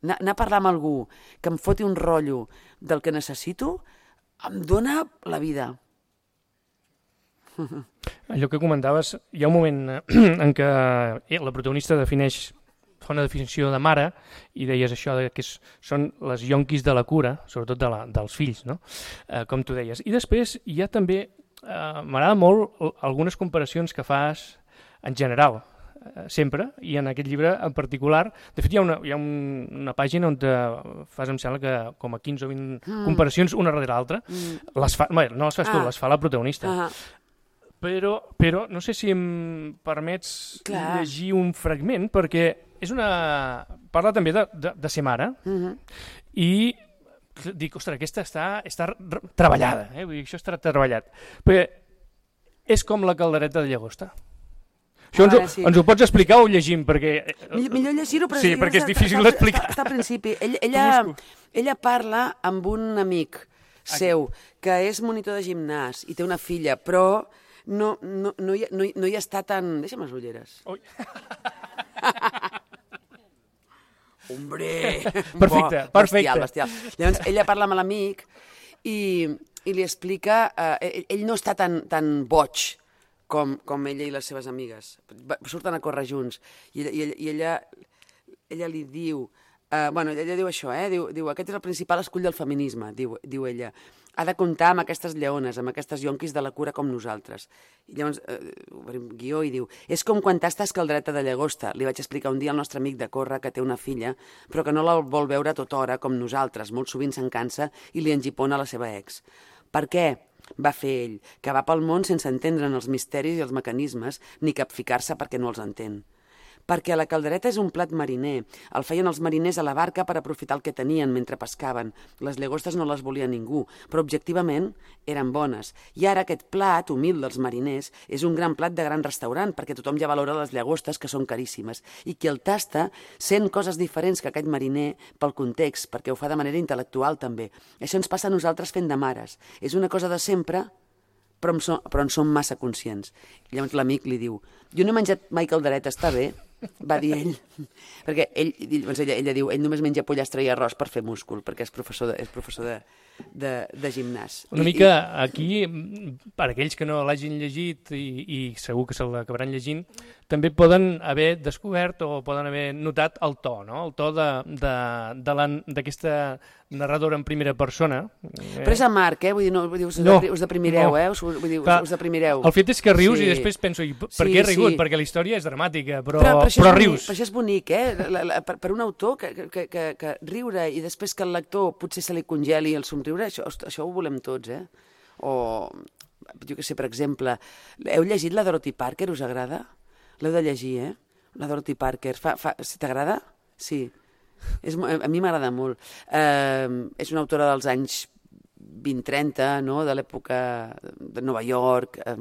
Anar, anar a parlar amb algú que em foti un rotllo del que necessito em dona la vida.
Allò que comentaves, hi ha un moment en què la protagonista defineix, fa una definició de mare, i deies això de que és, són les yonquis de la cura, sobretot de la, dels fills, no? Eh, com tu deies. I després hi ha també, eh, m'agrada molt algunes comparacions que fas en general, sempre, i en aquest llibre en particular. De fet, hi ha una, hi ha un, una pàgina on te fas, em sembla que com a quinze o vint mm. comparacions una darrere l'altra. Mm. Les fa, bé, no les fas ah. tu, les fa la protagonista. Ah. Però, però no sé si em permets Clar. llegir un fragment, perquè és una... parla també de, de, de ser mare, mm-hmm. i dic, ostres, aquesta està, està treballada, eh? Vull dir, això està treballat. Perquè és com la caldereta de llagosta. Això ens, sí. ens ho pots explicar o ho llegim? Perquè...
Millor, millor llegir-ho, però...
Sí, sí perquè és difícil d'explicar.
Està, està al principi. Ella, ella, ella parla amb un amic seu, que és monitor de gimnàs i té una filla, però no, no, no, hi, no, no hi està tan... Deixa'm les ulleres. Ui. Hombre!
Perfecte,
Bo, perfecte. Bestial, bestial. Llavors, ella parla amb l'amic i, i li explica... Eh, ell, ell no està tan, tan boig Com, com ella i les seves amigues. Surten a córrer junts. I, i, i ella, ella li diu... Uh, bueno, ella diu això, eh? Diu, diu, aquest és el principal escull del feminisme, diu, diu ella. Ha de comptar amb aquestes lleones, amb aquestes yonquis de la cura com nosaltres. I llavors, uh, obrim guió i diu, és com quan tastes caldereta de llagosta. Li vaig explicar un dia al nostre amic de córrer que té una filla, però que no la vol veure tota hora com nosaltres. Molt sovint se'n cansa i li engipona la seva ex. Per què? Va fer ell, que va pel món sense entendre'n els misteris i els mecanismes, ni capficar-se perquè no els entén. Perquè la caldereta és un plat mariner. El feien els mariners a la barca per aprofitar el que tenien mentre pescaven. Les llagostes no les volia ningú, però objectivament eren bones. I ara aquest plat, humil dels mariners, és un gran plat de gran restaurant, perquè tothom ja valora les llagostes, que són caríssimes. I qui el tasta sent coses diferents que aquest mariner pel context, perquè ho fa de manera intel·lectual també. Això ens passa a nosaltres fent de mares. És una cosa de sempre, però en som, però en som massa conscients. I llavors l'amic li diu, jo no he menjat mai caldereta, està bé? Va dir ell, perquè ell, doncs ella, ella diu, ell només menja pollastre i arròs per fer múscul, perquè és professor de, és professor de, de, de gimnàs.
Una I, mica aquí, per aquells que no l'hagin llegit i, i segur que se l'acabaran llegint, també poden haver descobert o poden haver notat el to, no? El to d'aquesta narradora en primera persona.
Però és amarg, eh? Vull dir, no, vull dir us, no, us deprimireu, no. eh? Us, vull dir, Clar, us deprimireu.
El fet és que rius sí. i després penso, per sí, què he rigut? Sí. Perquè la història és dramàtica, però,
però, però,
però
bonic,
rius.
Però això és bonic, eh? La, la, per, per un autor que, que, que, que riure i després que el lector potser se li congeli el somriure, això, això ho volem tots, eh? O, jo què sé, per exemple, heu llegit la Dorothy Parker, us agrada? L'heu de llegir, eh? La Dorothy Parker. Fa, fa, si t'agrada? sí. És, a mi m'agrada molt. Eh, és una autora dels anys vint trenta, no? De l'època de Nova York, eh,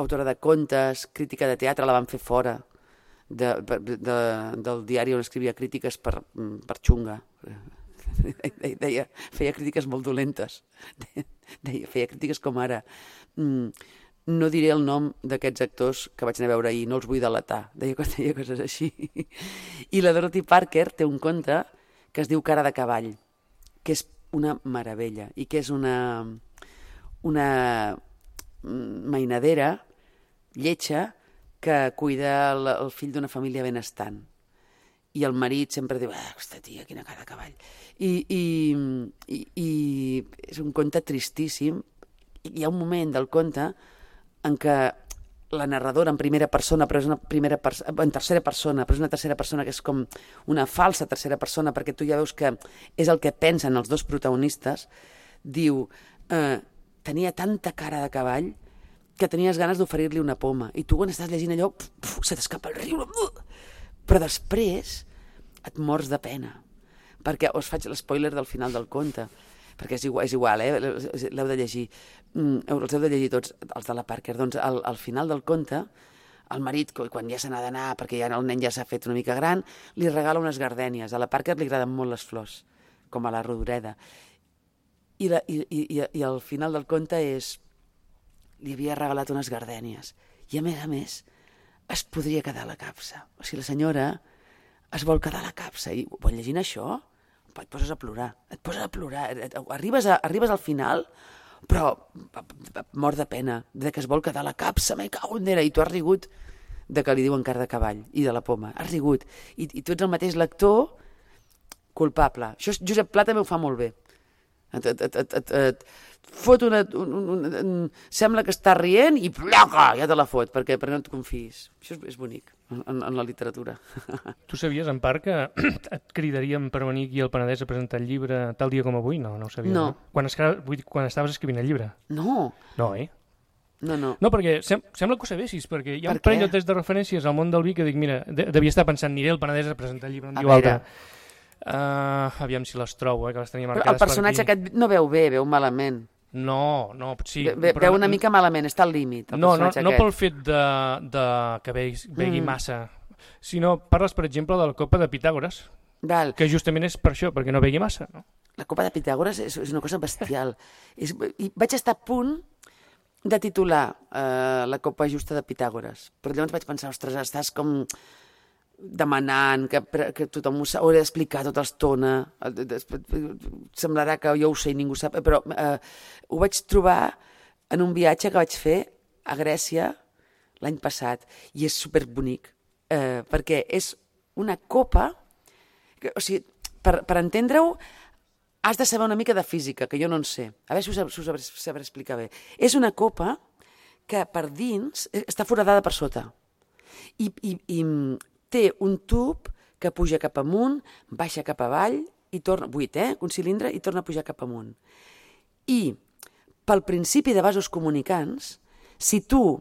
autora de contes, crítica de teatre, la van fer fora de, de, de, del diari on escrivia crítiques per, per xunga. Deia, feia crítiques molt dolentes. Deia, feia crítiques com ara. No diré el nom d'aquests actors que vaig anar a veure ahir, no els vull delatar. Deia, deia coses així. I la Dorothy Parker té un conte que es diu Cara de cavall, que és una meravella i que és una, una mainadera lletja que cuida el, el fill d'una família benestant. I el marit sempre diu, ah, aquesta tia, quina cara de cavall. I, i, i, i és un conte tristíssim. Hi ha un moment del conte en què la narradora en primera persona, però és una primera pers- en tercera persona, però és una tercera persona que és com una falsa tercera persona, perquè tu ja veus que és el que pensen els dos protagonistes, diu, eh, tenia tanta cara de cavall que tenies ganes d'oferir-li una poma, i tu quan estàs llegint allò, puf, puf, se t'escapa el riure, però després et mors de pena, perquè us faig l'espoiler del final del conte, perquè és igual, és igual eh? L'heu de llegir, mm, els heu de llegir tots, els de la Parker. Doncs al, al final del conte, el marit, quan ja se n'ha d'anar, perquè ja el nen ja s'ha fet una mica gran, li regala unes gardènies. A la Parker li agraden molt les flors, com a la Rodoreda. I, la, i, i, i al final del conte és, li havia regalat unes gardènies. I a més a més, es podria quedar a la capsa. O sigui, la senyora es vol quedar a la capsa. I quan llegint això, et poses a plorar, et poses a plorar, arribes, a, arribes al final, però mor de pena, de que es vol quedar a la capsa, me cago en Déu, i tu has rigut de que li diuen cara de cavall i de la poma, has rigut, i, i tu ets el mateix lector culpable. Això Josep Pla també ho fa molt bé. Et, et, et, et, et, et fot una, un, un, un, sembla que està rient i placa, ja te la fot, perquè, perquè no et confiïs. Això és, és bonic en, en la literatura.
Tu sabies, en part, que et cridaríem per venir aquí al Penedès a presentar el llibre tal dia com avui? No, no ho sabies.
No.
no? Quan, escra... vull dir, quan estaves escrivint el llibre?
No.
No, eh?
No, no.
No, perquè sem sembla que ho sabessis, perquè hi ha
per
un parell o tres de referències al món del vi que dic, mira, de devia estar pensant, aniré al Penedès a presentar el llibre, em diu altre. Uh, aviam si les trobo, eh, que les tenia marcades.
Però el personatge aquest no veu bé, veu malament.
No, no, sí.
Ve,
però
veu una mica malament, està al límit.
No, no, no pel fet de, de que begui, begui mm. massa, sinó parles, per exemple, de la copa de Pitàgores,
Val.
que justament és per això, perquè no begui massa. No?
La copa de Pitàgores és, és una cosa bestial. és, i vaig estar a punt de titular eh, la copa justa de Pitàgores, però llavors vaig pensar, ostres, estàs com demanant que, que tothom ho haurà d'explicar tota l'estona, semblarà que jo ho sé i ningú sap, però eh, ho vaig trobar en un viatge que vaig fer a Grècia l'any passat, i és superbonic, eh, perquè és una copa, que, o sigui, per, per entendre-ho has de saber una mica de física, que jo no en sé, a veure si us, us sabré, sabré explicar bé. És una copa que per dins està foradada per sota, i, i, i té un tub que puja cap amunt, baixa cap avall, i torna, buit, eh? Un cilindre, i torna a pujar cap amunt. I pel principi de vasos comunicants, si tu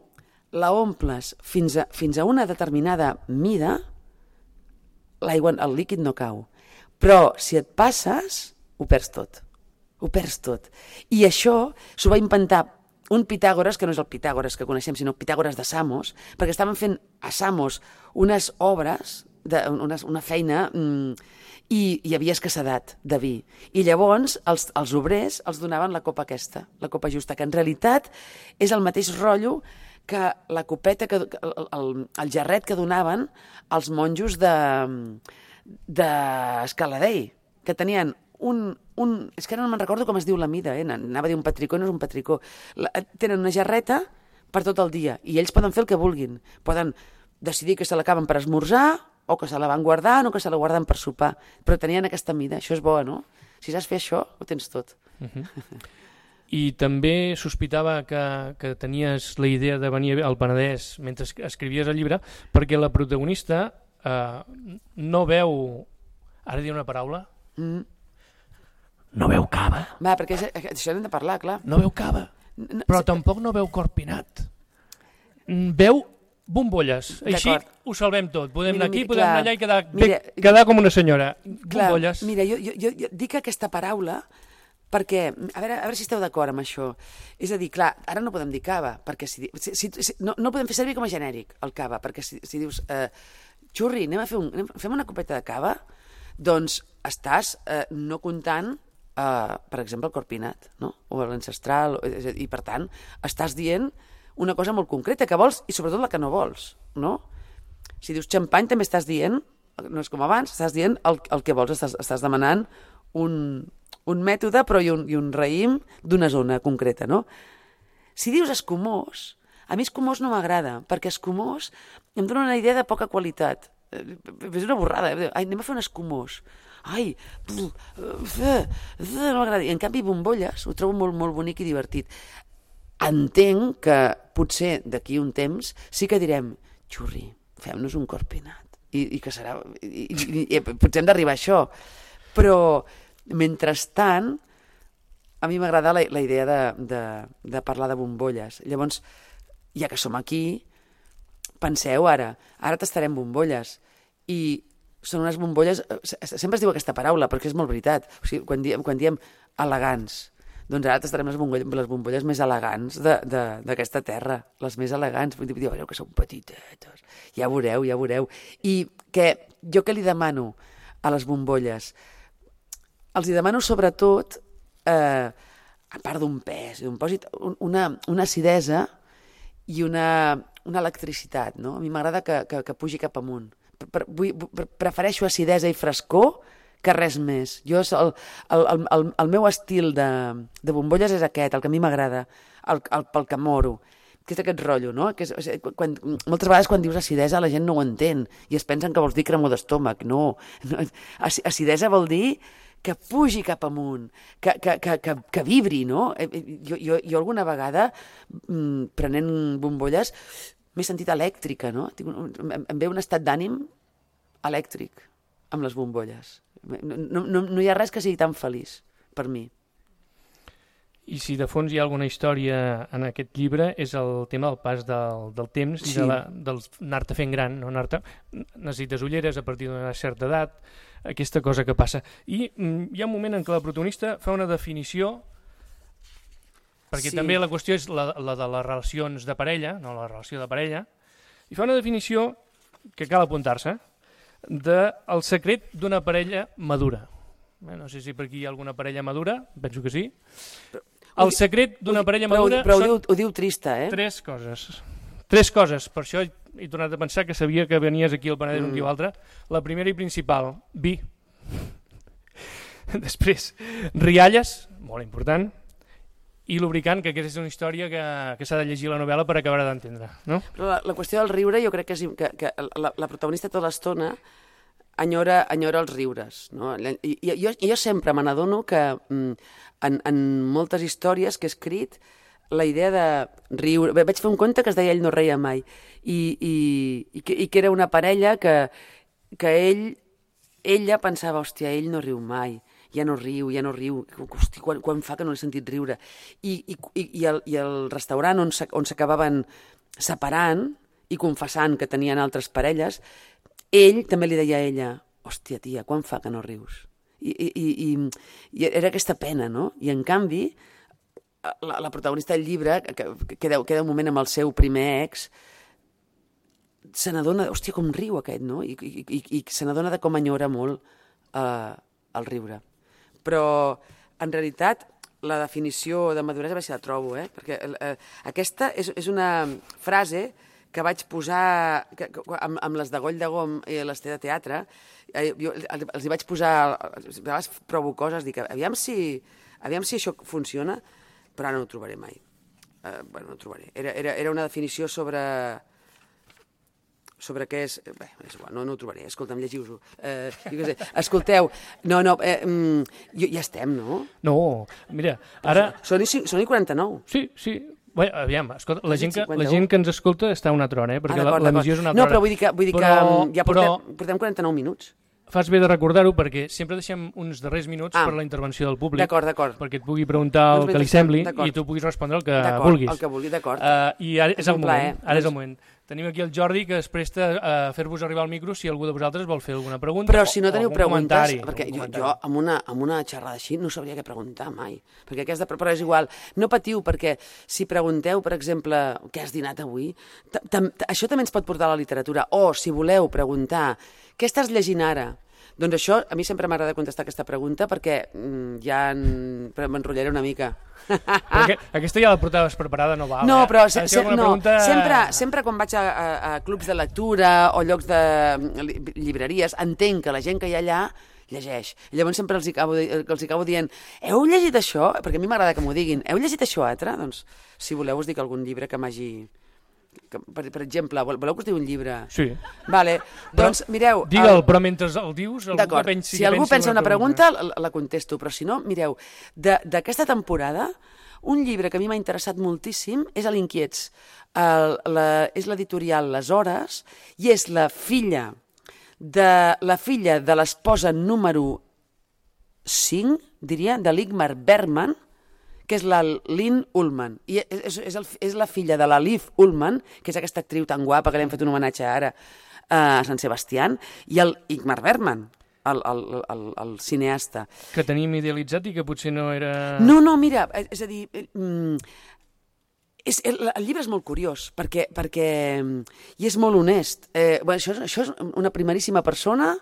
la omples fins a, fins a una determinada mida, l'aigua, el líquid no cau. Però si et passes, ho perds tot. Ho perds tot. I això s'ho va inventar un Pitàgores, que no és el Pitàgores que coneixem, sinó Pitàgores de Samos, perquè estaven fent a Samos unes obres, de, una, una feina, mmm, i hi havia escassedat de vi. I llavors els, els obrers els donaven la copa aquesta, la copa justa, que en realitat és el mateix rotllo que la copeta, que, el, el, el jarret que donaven els monjos de, de Escaladei, que tenien un, un... És que ara no me'n recordo com es diu la mida, eh? Anava a dir un patricó, no és un patricó. La, tenen una jarreta per tot el dia, i ells poden fer el que vulguin. Poden decidir que se l'acaben per esmorzar, o que se la van guardant, o que se la guarden per sopar. Però tenien aquesta mida, això és bo, no? Si saps fer això, ho tens tot.
Uh -huh. I també sospitava que, que tenies la idea de venir al Penedès mentre escrivies el llibre, perquè la protagonista eh, no veu... Ara diré una paraula... Mm. No veu cava.
Va, perquè això hem de parlar, clar.
No veu cava, no, però tampoc no veu corpinat. Veu bombolles. Així ho salvem tot. Podem
mira,
anar aquí,
mira,
podem
clar,
anar allà i quedar,
mira,
bé, quedar com una senyora.
Clar,
bombolles.
Mira, jo, jo, jo dic aquesta paraula perquè, a veure, a veure si esteu d'acord amb això. És a dir, clar, ara no podem dir cava, perquè si, si, si, si no, no podem fer servir com a genèric el cava, perquè si, si dius, eh, xurri, anem a fer un, anem, fem una copeta de cava, doncs estàs eh, no comptant Uh, per exemple, el corpinat, no? O l'ancestral, i per tant estàs dient una cosa molt concreta que vols i sobretot la que no vols, no? Si dius xampany també estàs dient, no és com abans, estàs dient el, el que vols, estàs, estàs demanant un, un mètode però i un, i un raïm d'una zona concreta, no? Si dius escumós, a mi escumós no m'agrada, perquè escumós em dona una idea de poca qualitat. És una borrada, eh? Ai, anem a fer un escumós. Ai, no m'agrada. En canvi, bombolles ho trobo molt, molt bonic i divertit. Entenc que potser d'aquí un temps sí que direm, xurri, fem-nos un corpinat. I, i que serà... I, i, i, potser hem d'arribar a això. Però, mentrestant, a mi m'agrada la, la idea de, de, de parlar de bombolles. Llavors, ja que som aquí, penseu ara, ara tastarem bombolles. I són unes bombolles, sempre es diu aquesta paraula perquè és molt veritat, o sigui, quan diem, quan diem elegants, doncs ara tastarem les bombolles, les bombolles més elegants d'aquesta terra, les més elegants, vull dir, veureu que són petitetes, ja veureu, ja veureu, i que jo que li demano a les bombolles, els hi demano sobretot, eh, a part d'un pes, d'un pòsit, una, una acidesa i una, una electricitat, no? A mi m'agrada que, que, que pugi cap amunt. Prefereixo acidesa i frescor que res més. Jo, el, el, el, el meu estil de, de bombolles és aquest, el que a mi m'agrada, el, el, pel que moro, que és aquest rotllo, no? Que és, quan, moltes vegades quan dius acidesa la gent no ho entén i es pensen que vols dir cremor d'estómac. No, no, acidesa vol dir que pugi cap amunt, que, que, que, que, que vibri, no? Jo, jo, jo alguna vegada, prenent bombolles, m'he sentit elèctrica, no? Em ve un estat d'ànim elèctric amb les bombolles. No, no, no hi ha res que sigui tan feliç per mi.
I si de fons hi ha alguna història en aquest llibre és el tema del pas del, del temps
sí.
i de la, del anar-te fent gran. No? Anar-te... Necessites ulleres a partir d'una certa edat, aquesta cosa que passa. I mm, hi ha un moment en què la protagonista fa una definició, perquè sí. també la qüestió és la, la de les relacions de parella, no la relació de parella, i fa una definició que cal apuntar-se, del secret d'una parella madura. Bé, no sé si per aquí hi ha alguna parella madura, penso que sí. El secret d'una parella madura
però, però ho, diu, ho diu trista, eh?
Tres coses. Tres coses, per això he tornat a pensar que sabia que venies aquí al Penedès mm. un dia o altre. La primera i principal, vi. Després, rialles, molt important, i lubricant, que aquesta és una història que, que s'ha de llegir la novel·la per acabar d'entendre, no?
La, la qüestió del riure, jo crec que, és, que, que la, la protagonista tota l'estona enyora, enyora els riures, no? I, i jo, jo sempre me n'adono que en, en moltes històries que he escrit la idea de riure... Vaig fer un conte que es deia Ell no reia mai, i, i, i, que, i que era una parella que, que ell, ella pensava, hòstia, ell no riu mai, ja no riu, ja no riu, hosti, quan, quan fa que no l'he sentit riure. I, i, i, el, i el restaurant on s'acabaven separant i confessant que tenien altres parelles, ell també li deia a ella, hòstia, tia, quan fa que no rius? I, i, i, i era aquesta pena, no? I en canvi, la, la protagonista del llibre, que, que queda, queda un moment amb el seu primer ex, se n'adona, hòstia, com riu aquest, no? I, i, i, i se n'adona de com enyora molt eh, el riure. Però, en realitat, la definició de maduresa, a veure si la trobo, eh? Perquè eh, aquesta és, és una frase que vaig posar que, que, amb, amb les de Goll de Gom i les de teatre. Eh, jo els hi vaig posar, a vegades provo coses, dic, aviam si, aviam si això funciona, però ara no ho trobaré mai. Eh, bueno, no ho trobaré. Era, era, era una definició sobre... sobre què és... Bé, és igual, no, no ho trobaré. Escolta'm, llegiu-ho. Eh, sé, escolteu, no, no, eh, mm, ja estem, no?
No, mira, ara...
Són i, són i quaranta-nou.
Sí, sí. Bé, aviam, escolta, la gent, que, la gent que ens escolta està una altra hora, eh? Perquè ah, l'emissió és una altra
no,
hora.
No, però vull dir que, vull dir
però,
que ja portem,
però...
portem quaranta-nou minuts.
Fas bé de recordar-ho perquè sempre deixem uns darrers minuts ah, per la intervenció del públic.
D'acord, d'acord.
Perquè et pugui preguntar doncs el que li sembli i tu puguis respondre el que vulguis.
El que vulgui, d'acord.
Uh, I ara és el moment. Ara és el moment. Tenim aquí el Jordi, que es presta a fer-vos arribar al micro si algú de vosaltres vol fer alguna pregunta.
Però si no teniu preguntes,
comentari,
perquè jo, jo amb, una, amb una xerrada així no sabria què preguntar mai, perquè què has de preparar és igual. No patiu, perquè si pregunteu, per exemple, què has dinat avui, això també ens pot portar a la literatura. O, si voleu preguntar, què estàs llegint ara? Doncs això, a mi sempre m'agrada contestar aquesta pregunta perquè mm, ja en... m'enrotllaré una mica.
Perquè aquesta ja la portaves preparada, no val.
No,
eh?
però se, se, no,
pregunta...
sempre, sempre quan vaig a, a, a clubs de lectura o llocs de llibreries, entenc que la gent que hi ha allà llegeix. I llavors sempre els acabo, els acabo dient, heu llegit això? Perquè a mi m'agrada que m'ho diguin. Heu llegit això altre? Doncs, si voleu, us dic algun llibre que m'hagi... Que, per, per exemple, voleu que us digui un llibre?
Sí.
Vale, doncs
però,
mireu...
Digue'l, el... però mentre el dius...
D'acord,
pensi,
si algú pensa una pregunta,
pregunta
la, la contesto, però si no, mireu, d'aquesta temporada, un llibre que a mi m'ha interessat moltíssim és l'Inquiets. El, la, és l'editorial Les Hores i és la filla de la filla de l'esposa número cinc, diria, de l'Igmar Bergman, que és la Lynn Ullman. I és, és, el, és la filla de la Liv Ullman, que és aquesta actriu tan guapa que li hem fet un homenatge ara a Sant Sebastián, i el Ingmar Bergman, el, el, el, el cineasta.
Que teníem idealitzat i que potser no era...
No, no, mira, és a dir... Mm, és, el, el llibre és molt curiós, perquè, perquè i és molt honest. Eh, bueno, això, això és una primeríssima persona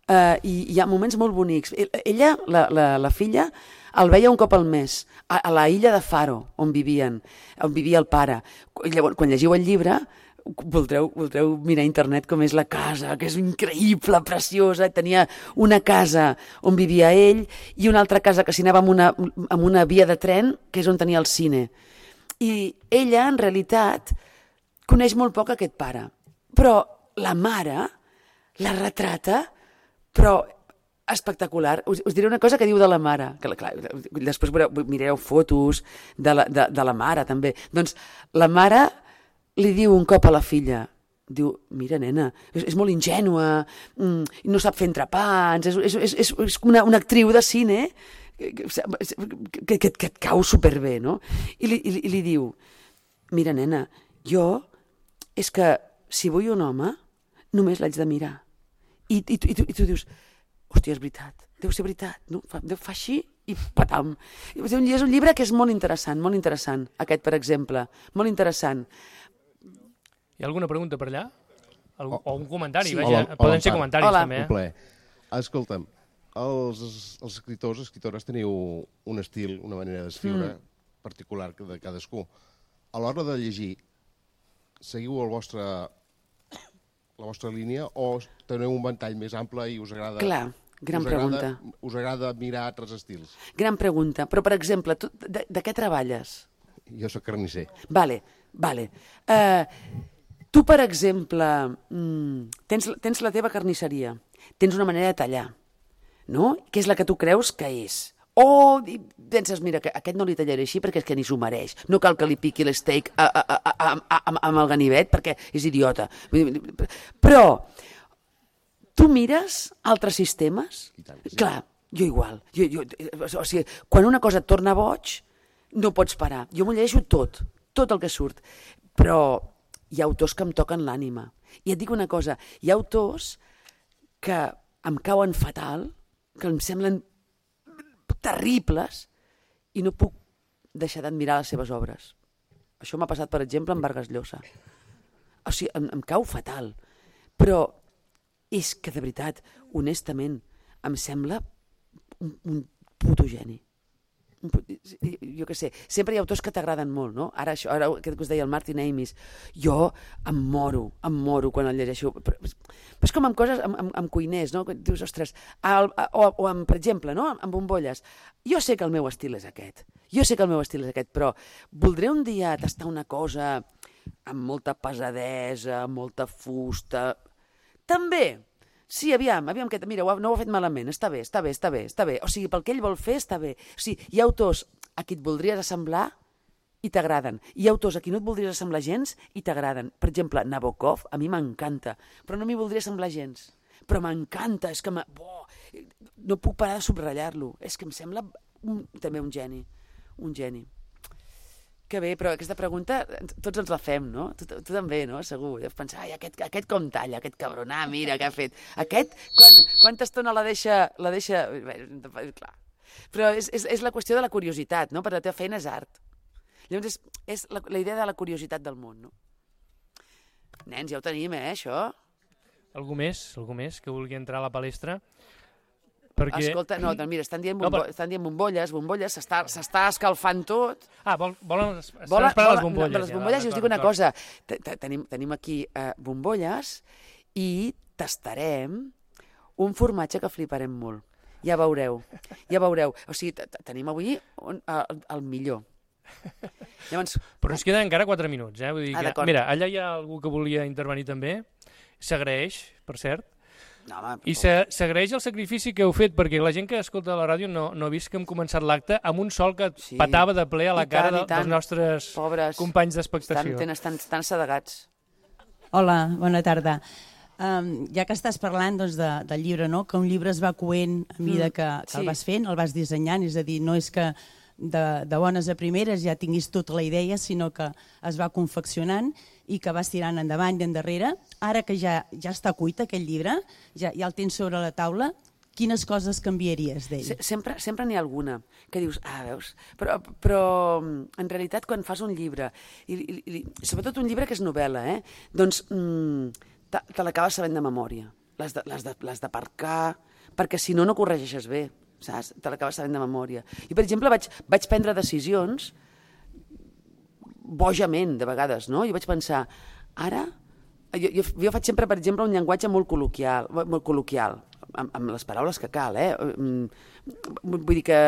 eh, i hi ha moments molt bonics. Ella, la, la, la filla, el veia un cop al mes, a, a la illa de Faro, on vivien, on vivia el pare. Llavors, quan llegiu el llibre, voldreu, voldreu mirar a internet com és la casa, que és increïble, preciosa. Tenia una casa on vivia ell i una altra casa que s'hi anava amb una, amb una via de tren, que és on tenia el cine. I ella, en realitat, coneix molt poc aquest pare. Però la mare la retrata, però espectacular. Us, us diré una cosa que diu de la mare, que clar, després veureu, mireu fotos de la, de, de la mare també. Doncs la mare li diu un cop a la filla, diu, mira nena, és, és molt ingènua, mm, no sap fer entrepans, és, és, és, és una, una actriu de cine que, que, que, que et cau superbé, no? I li, i, i li diu, mira nena, jo és que si vull un home només l'haig de mirar. I, i, i, tu, i tu dius, hòstia, és veritat, deu ser veritat, no? Fa, deu fa així i patam. És un llibre que és molt interessant, molt interessant, aquest, per exemple, molt interessant.
Hi ha alguna pregunta per allà? Algú, o un comentari,
sí.
vaja,
hola,
poden
hola,
ser comentaris
hola.
també.
Un plaer. Escolta'm, els, els escriptors, escriptores teniu un estil, una manera d'escriure mm. particular de cadascú. A l'hora de llegir, seguiu el vostre, la vostra línia o teniu un ventall més ample i us agrada...
Clar, gran
us
pregunta.
Agrada, us agrada mirar altres estils?
Gran pregunta. Però, per exemple, tu, de, de què treballes?
Jo sóc carnisser.
Vale, vale. Uh, tu, per exemple, mm, tens, tens la teva carnisseria, tens una manera de tallar, no? Que és la que tu creus que és. O penses, mira, que aquest no li tallaré així perquè és que ni s'ho mereix. No cal que li piqui l'steak amb el ganivet perquè és idiota. Però tu mires altres sistemes?
I tant, sí.
Clar, jo igual. Jo, jo, o sigui, quan una cosa et torna boig, no pots parar. Jo m'ho llegeixo tot, tot el que surt. Però hi ha autors que em toquen l'ànima. I et dic una cosa, hi ha autors que em cauen fatal, que em semblen terribles i no puc deixar d'admirar les seves obres. Això m'ha passat, per exemple, amb Vargas Llosa. O sigui, em, em cau fatal. Però és que, de veritat, honestament, em sembla un, un puto geni. Un puto, jo què sé, sempre hi ha autors que t'agraden molt, no? Ara, això, ara aquest que us deia el Martin Amis, jo em moro, em moro quan el llegeixo. Però, però és com amb coses, amb, amb, amb cuiners, no? Dius, ostres, el, o, o amb, per exemple, no? Amb bombolles. Jo sé que el meu estil és aquest, jo sé que el meu estil és aquest, però voldré un dia tastar una cosa amb molta pesadesa, amb molta fusta... També, sí, aviam, aviam, que, mira, no ho ha fet malament, està bé, està bé, està bé, està bé. O sigui, pel que ell vol fer està bé. O sigui, hi ha autors a qui et voldries assemblar i t'agraden. Hi ha autors a qui no et voldries assemblar gens i t'agraden. Per exemple, Nabokov, a mi m'encanta, però no m'hi voldria assemblar gens. Però m'encanta, és que... Bo, no puc parar de subratllar-lo. És que em sembla un, també un geni, un geni. Que bé, però aquesta pregunta tots ens la fem, no? Tu, tu també, no? Segur. Deus pensar, ai, aquest, aquest com talla, aquest cabron, ah, mira què ha fet. Aquest, quan, quanta estona la deixa... La deixa... Bé, clar. Però és, és, és la qüestió de la curiositat, no? Perquè la teva feina és art. Llavors és, és la, la idea de la curiositat del món, no? Nens, ja ho tenim, eh, això?
Algú més? Algú més que vulgui entrar a la palestra? Perquè...
Escolta, no, doncs mira, estan dient, bombo... no, però... estan dient bombolles, bombolles, s'està escalfant tot.
Ah, vol, volen, estan
volen
esperant
les
bombolles.
No, les bombolles, ja, i us dic una cosa, tenim, tenim aquí uh, bombolles i tastarem un formatge que fliparem molt. Ja veureu, ja veureu. O sigui, tenim avui un, el, el millor. Llavors...
Però ens queden encara quatre minuts, eh? Vull dir
ah,
que... Mira, allà hi ha algú que volia intervenir també, s'agraeix, per cert.
No, home,
I s'agraeix el sacrifici que heu fet, perquè la gent que escolta la ràdio no, no ha vist que hem començat l'acte amb un sol que sí. patava de ple a la I cara tant, de, dels nostres
Pobres.
companys d'expectació.
Estan, estan, estan sedegats.
Hola, bona tarda. Um, ja que estàs parlant doncs, de, del llibre, no? Que un llibre es va coent a mesura que, que sí. el vas fent, el vas dissenyant, és a dir, no és que de, de bones a primeres ja tinguis tota la idea, sinó que es va confeccionant i que vas tirant endavant i endarrere. Ara que ja, ja està cuit aquest llibre, ja, ja el tens sobre la taula, quines coses canviaries d'ell?
Sempre sempre n'hi ha alguna que dius, ah, veus, però, però en realitat quan fas un llibre, i, i, i sobretot un llibre que és novel·la, eh, doncs mm, te, te l'acabes sabent de memòria. L'has de, de, d'aparcar, perquè si no, no corregeixes bé, saps? Te l'acabes sabent de memòria. I, per exemple, vaig, vaig prendre decisions bojament, de vegades, no? Jo vaig pensar, ara... Jo, jo, jo faig sempre, per exemple, un llenguatge molt col·loquial, molt col·loquial, amb, amb les paraules que cal, eh? Vull dir que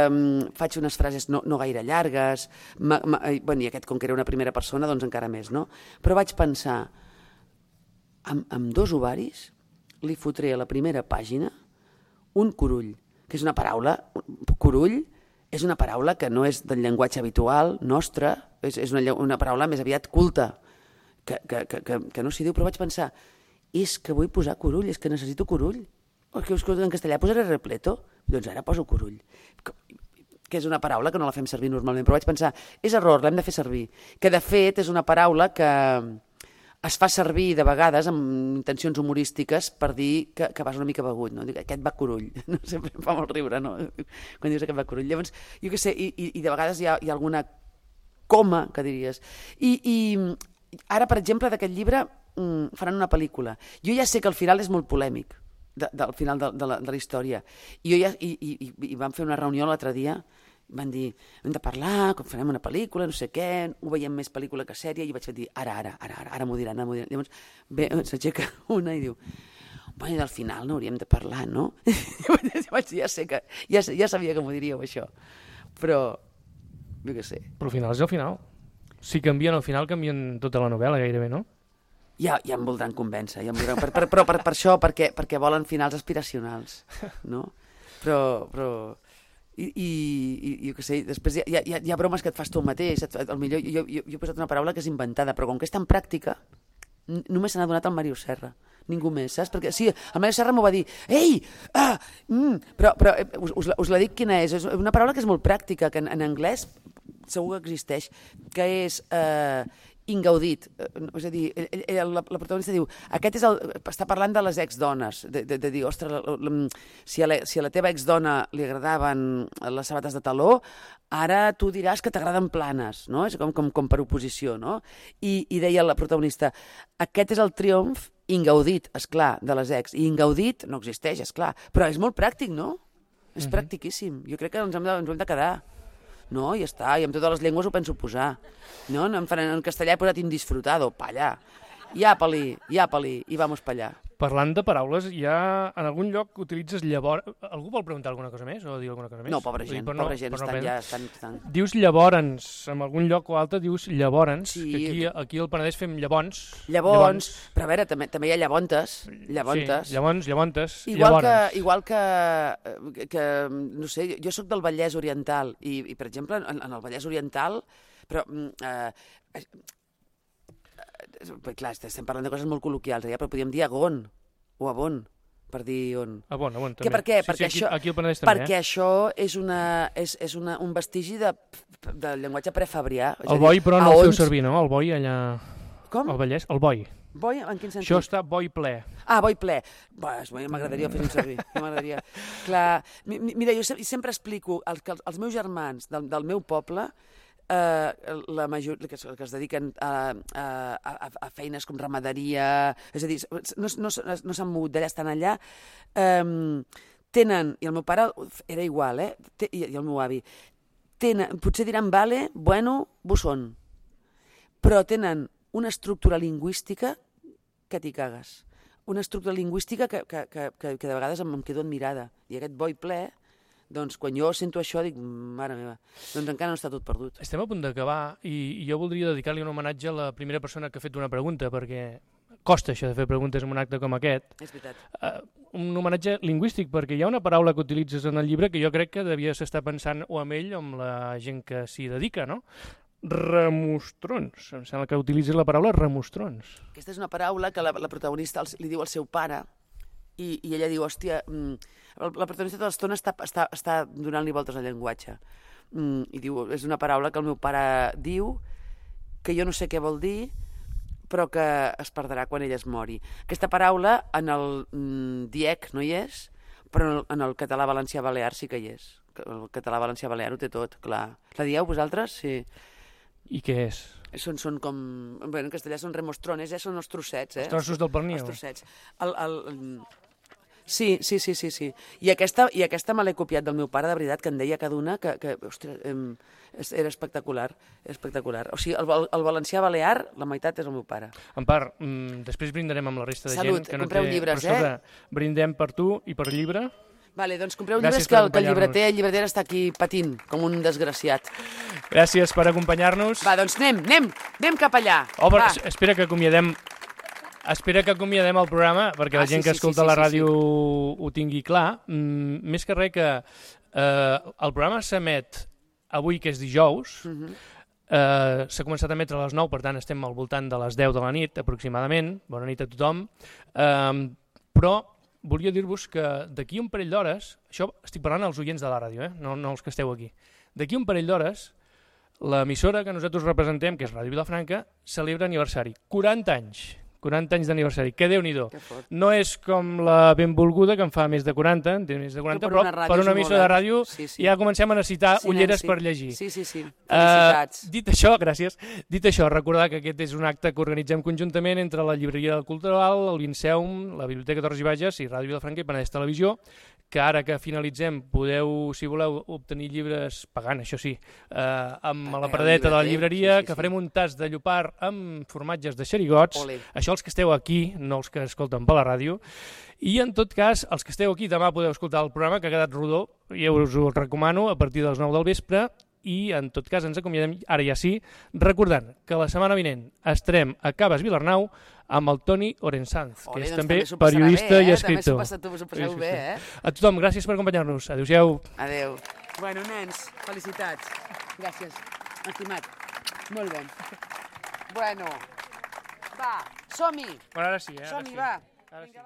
faig unes frases no, no gaire llargues, ma, ma, bueno, i aquest, com que era una primera persona, doncs encara més, no? Però vaig pensar, amb, amb dos ovaris li fotré a la primera pàgina un curull, que és una paraula, curull, és una paraula que no és del llenguatge habitual nostre, és, és una, una paraula més aviat culta, que, que, que, que, que no s'hi diu, però vaig pensar, és que vull posar curull, és que necessito curull. O que en castellà posaré repleto, doncs ara poso curull. Que, que és una paraula que no la fem servir normalment, però vaig pensar, és error, l'hem de fer servir. Que de fet és una paraula que es fa servir de vegades amb intencions humorístiques per dir que, que vas una mica begut, no? Dic, aquest va curull, no? Sempre em fa molt riure, no? Quan dius aquest va curull. Llavors, jo què sé, i, i, i de vegades hi ha, hi ha alguna coma, que diries. I, i ara, per exemple, d'aquest llibre mm, faran una pel·lícula. Jo ja sé que el final és molt polèmic, de, del final de, de, la, de la història. I, jo ja, i, i, i vam fer una reunió l'altre dia, van dir, hem de parlar, com farem una pel·lícula, no sé què, ho veiem més pel·lícula que sèrie, i vaig dir, ara, ara, ara, ara, ara m'ho diran, ara m'ho diran. Llavors, bé, s'aixeca una i diu, bueno, al final no hauríem de parlar, no? I vaig dir, ja sé que, ja, ja sabia que m'ho diríeu, això, però, jo què sé.
Però al final és el final. Si canvien al final, canvien tota la novel·la gairebé, no?
Ja, ja em voldran convèncer, ja em voldran, per, per, però per, per això, perquè, perquè volen finals aspiracionals, no? Però... però I, i, i jo què sé, després hi ha, hi, ha, hi ha bromes que et fas tu mateix, et, el millor, jo, jo, jo he posat una paraula que és inventada, però com que és tan pràctica, n- només se n'ha donat el Mario Serra, ningú més, saps? Perquè sí, el Mario Serra m'ho va dir, ei, ah, mm, però, però us, us, la, us la dic quina és, és una paraula que és molt pràctica, que en, en anglès segur que existeix, que és... Eh, ingaudit, és a dir, ell, ell, la, la protagonista diu, aquest és el, està parlant de les exdones, de, de, de dir, ostres, la, la, si, a la, si a la teva exdona li agradaven les sabates de taló, ara tu diràs que t'agraden planes, no? És com, com, com per oposició, no? I, i deia la protagonista, aquest és el triomf ingaudit, esclar, de les ex, i ingaudit no existeix, esclar, però és molt pràctic, no? És uh-huh. practiquíssim, jo crec que ens hem de, ens hem de quedar. No, i ja està, i amb totes les llengües ho penso posar. No, en, en castellà he posat indisfrutado, pa allà. Iapa-li, iapa-li, i vamos pa allà.
Parlant de paraules, ja en algun lloc utilitzes llavors... Algú vol preguntar alguna cosa més o dir alguna cosa més?
No, pobra gent, dir, pobra no, gent, estan no ja... Estan, estan...
Dius llavors, en algun lloc o altre dius llavors,
sí.
que aquí, aquí al Penedès fem llavors.
Llavors, però a veure, també, també hi ha llavontes. Llavontes.
Sí, llavors, llavontes,
igual
llavors.
Que, igual que, que, no sé, jo sóc del Vallès Oriental, i, i per exemple, en, en el Vallès Oriental, però... Eh, clar, estem parlant de coses molt col·loquials, ja, però podríem dir agon o abon, per dir on.
Ah, bon, bon, també.
Que per què?
Sí,
perquè
sí, aquí,
això,
aquí al Penedès també,
perquè
eh?
això és, una, és, és una, un vestigi de, de llenguatge prefabrià.
El boi, però no el feu servir, no? El boi allà...
Com?
Al Vallès, el boi.
Boi, en quin sentit?
Això està boi ple.
Ah, boi ple. Bah, m'agradaria fer-ho servir. M'agradaria. Clar, mira, jo sempre explico els, els meus germans del, del meu poble, eh, la major, que, es, que es dediquen a, a, a, a feines com ramaderia, és a dir, no, no, no s'han mogut d'allà, estan allà, eh, tenen, i el meu pare era igual, eh, té, i, i el meu avi, tenen, potser diran vale, bueno, bosón, però tenen una estructura lingüística que t'hi cagues. Una estructura lingüística que, que, que, que de vegades em, em quedo admirada. I aquest boi ple, doncs quan jo sento això dic, mare meva, doncs encara no està tot perdut.
Estem a punt d'acabar i jo voldria dedicar-li un homenatge a la primera persona que ha fet una pregunta, perquè costa això de fer preguntes en un acte com aquest.
És veritat.
Uh, un homenatge lingüístic, perquè hi ha una paraula que utilitzes en el llibre que jo crec que devies estar pensant o amb ell o amb la gent que s'hi dedica, no? Remostrons. Em sembla que utilitzes la paraula remostrons.
Aquesta és una paraula que la, la protagonista li diu al seu pare i, i ella diu, hòstia, la protagonista tota l'estona està, està, està donant-li voltes al llenguatge. I diu, és una paraula que el meu pare diu, que jo no sé què vol dir, però que es perdrà quan ella es mori. Aquesta paraula en el mm, diec no hi és, però en el, en el català valencià balear sí que hi és. El català valencià balear ho té tot, clar. La dieu vosaltres? Sí.
I què és?
Són, són com... Bé, en castellà són remostrones, eh? Són els trossets, eh?
Els trossos del pernil.
Els trossets. El, el, el... Sí, sí, sí, sí, sí. I aquesta, i aquesta me l'he copiat del meu pare, de veritat, que en deia cada una que, que ostres, em, era espectacular, espectacular. O sigui, el, el valencià balear, la meitat és el meu pare.
Empar, mm, després brindarem amb la resta de
Salut,
gent. Que no
compreu
té...
llibres,
Però,
eh?
escolta, brindem per tu i per llibre.
Vale, doncs compreu
Gràcies
llibres que, el, que el
acompanyar-nos.
llibreter, el llibreter està aquí patint, com un desgraciat.
Gràcies per acompanyar-nos.
Va, doncs anem, anem, anem cap allà.
Oh, però,
Va.
espera que acomiadem... Espera que acomiadem el programa, perquè
Ah,
la gent
sí,
que
sí,
escolta
sí, sí,
la
sí,
ràdio sí. ho tingui clar. Mm, més que res que eh, el programa s'emet avui, que és dijous, uh -huh. eh, s'ha començat a emetre a les nou, per tant estem al voltant de les deu de la nit, aproximadament. Bona nit a tothom. Eh, però volia dir-vos que d'aquí un parell d'hores, això estic parlant als oients de la ràdio, eh? no, no els que esteu aquí, d'aquí un parell d'hores, l'emissora que nosaltres representem, que és Ràdio Vilafranca, celebra aniversari. quaranta anys. quaranta anys d'aniversari, que Déu-n'hi-do. No és com la benvolguda, que en fa més de quaranta, en té més de quaranta, però, però per una emissora de ràdio sí, sí. ja comencem a necessitar sí, ulleres sí. per llegir.
Sí, sí, sí. Felicitats.
Uh, dit això, gràcies, dit això, recordar que aquest és un acte que organitzem conjuntament entre la Llibreria del Cultural, el Vinceum, la Biblioteca Torres i Bages i Ràdio Vilafranca i Penedès Televisió, que ara que finalitzem podeu, si voleu, obtenir llibres pagant, això sí, eh, amb la paradeta de la llibreria, sí, sí, que farem un tas de llopar amb formatges de xerigots. Olé. Això els que esteu aquí, no els que escolten per la ràdio. I en tot cas, els que esteu aquí, demà podeu escoltar el programa, que ha quedat rodó, i us ho recomano, a partir de les nou del vespre, i en tot cas ens acomiadem, ara ja sí, recordant que la setmana vinent estarem a Caves Vilarnau amb el Toni Orensanz, que
Olé,
és
doncs
també,
també
periodista
bé, eh?
i escriptor.
També s'ho passeu bé, eh?
A tothom, gràcies per acompanyar-nos. Adéu-siau.
Adéu. Bueno, nens, felicitats. Gràcies, estimat. Molt bé. Bueno, va, som-hi.
Bueno, ara sí, eh?
Som-hi,
sí.
va.
Ara sí.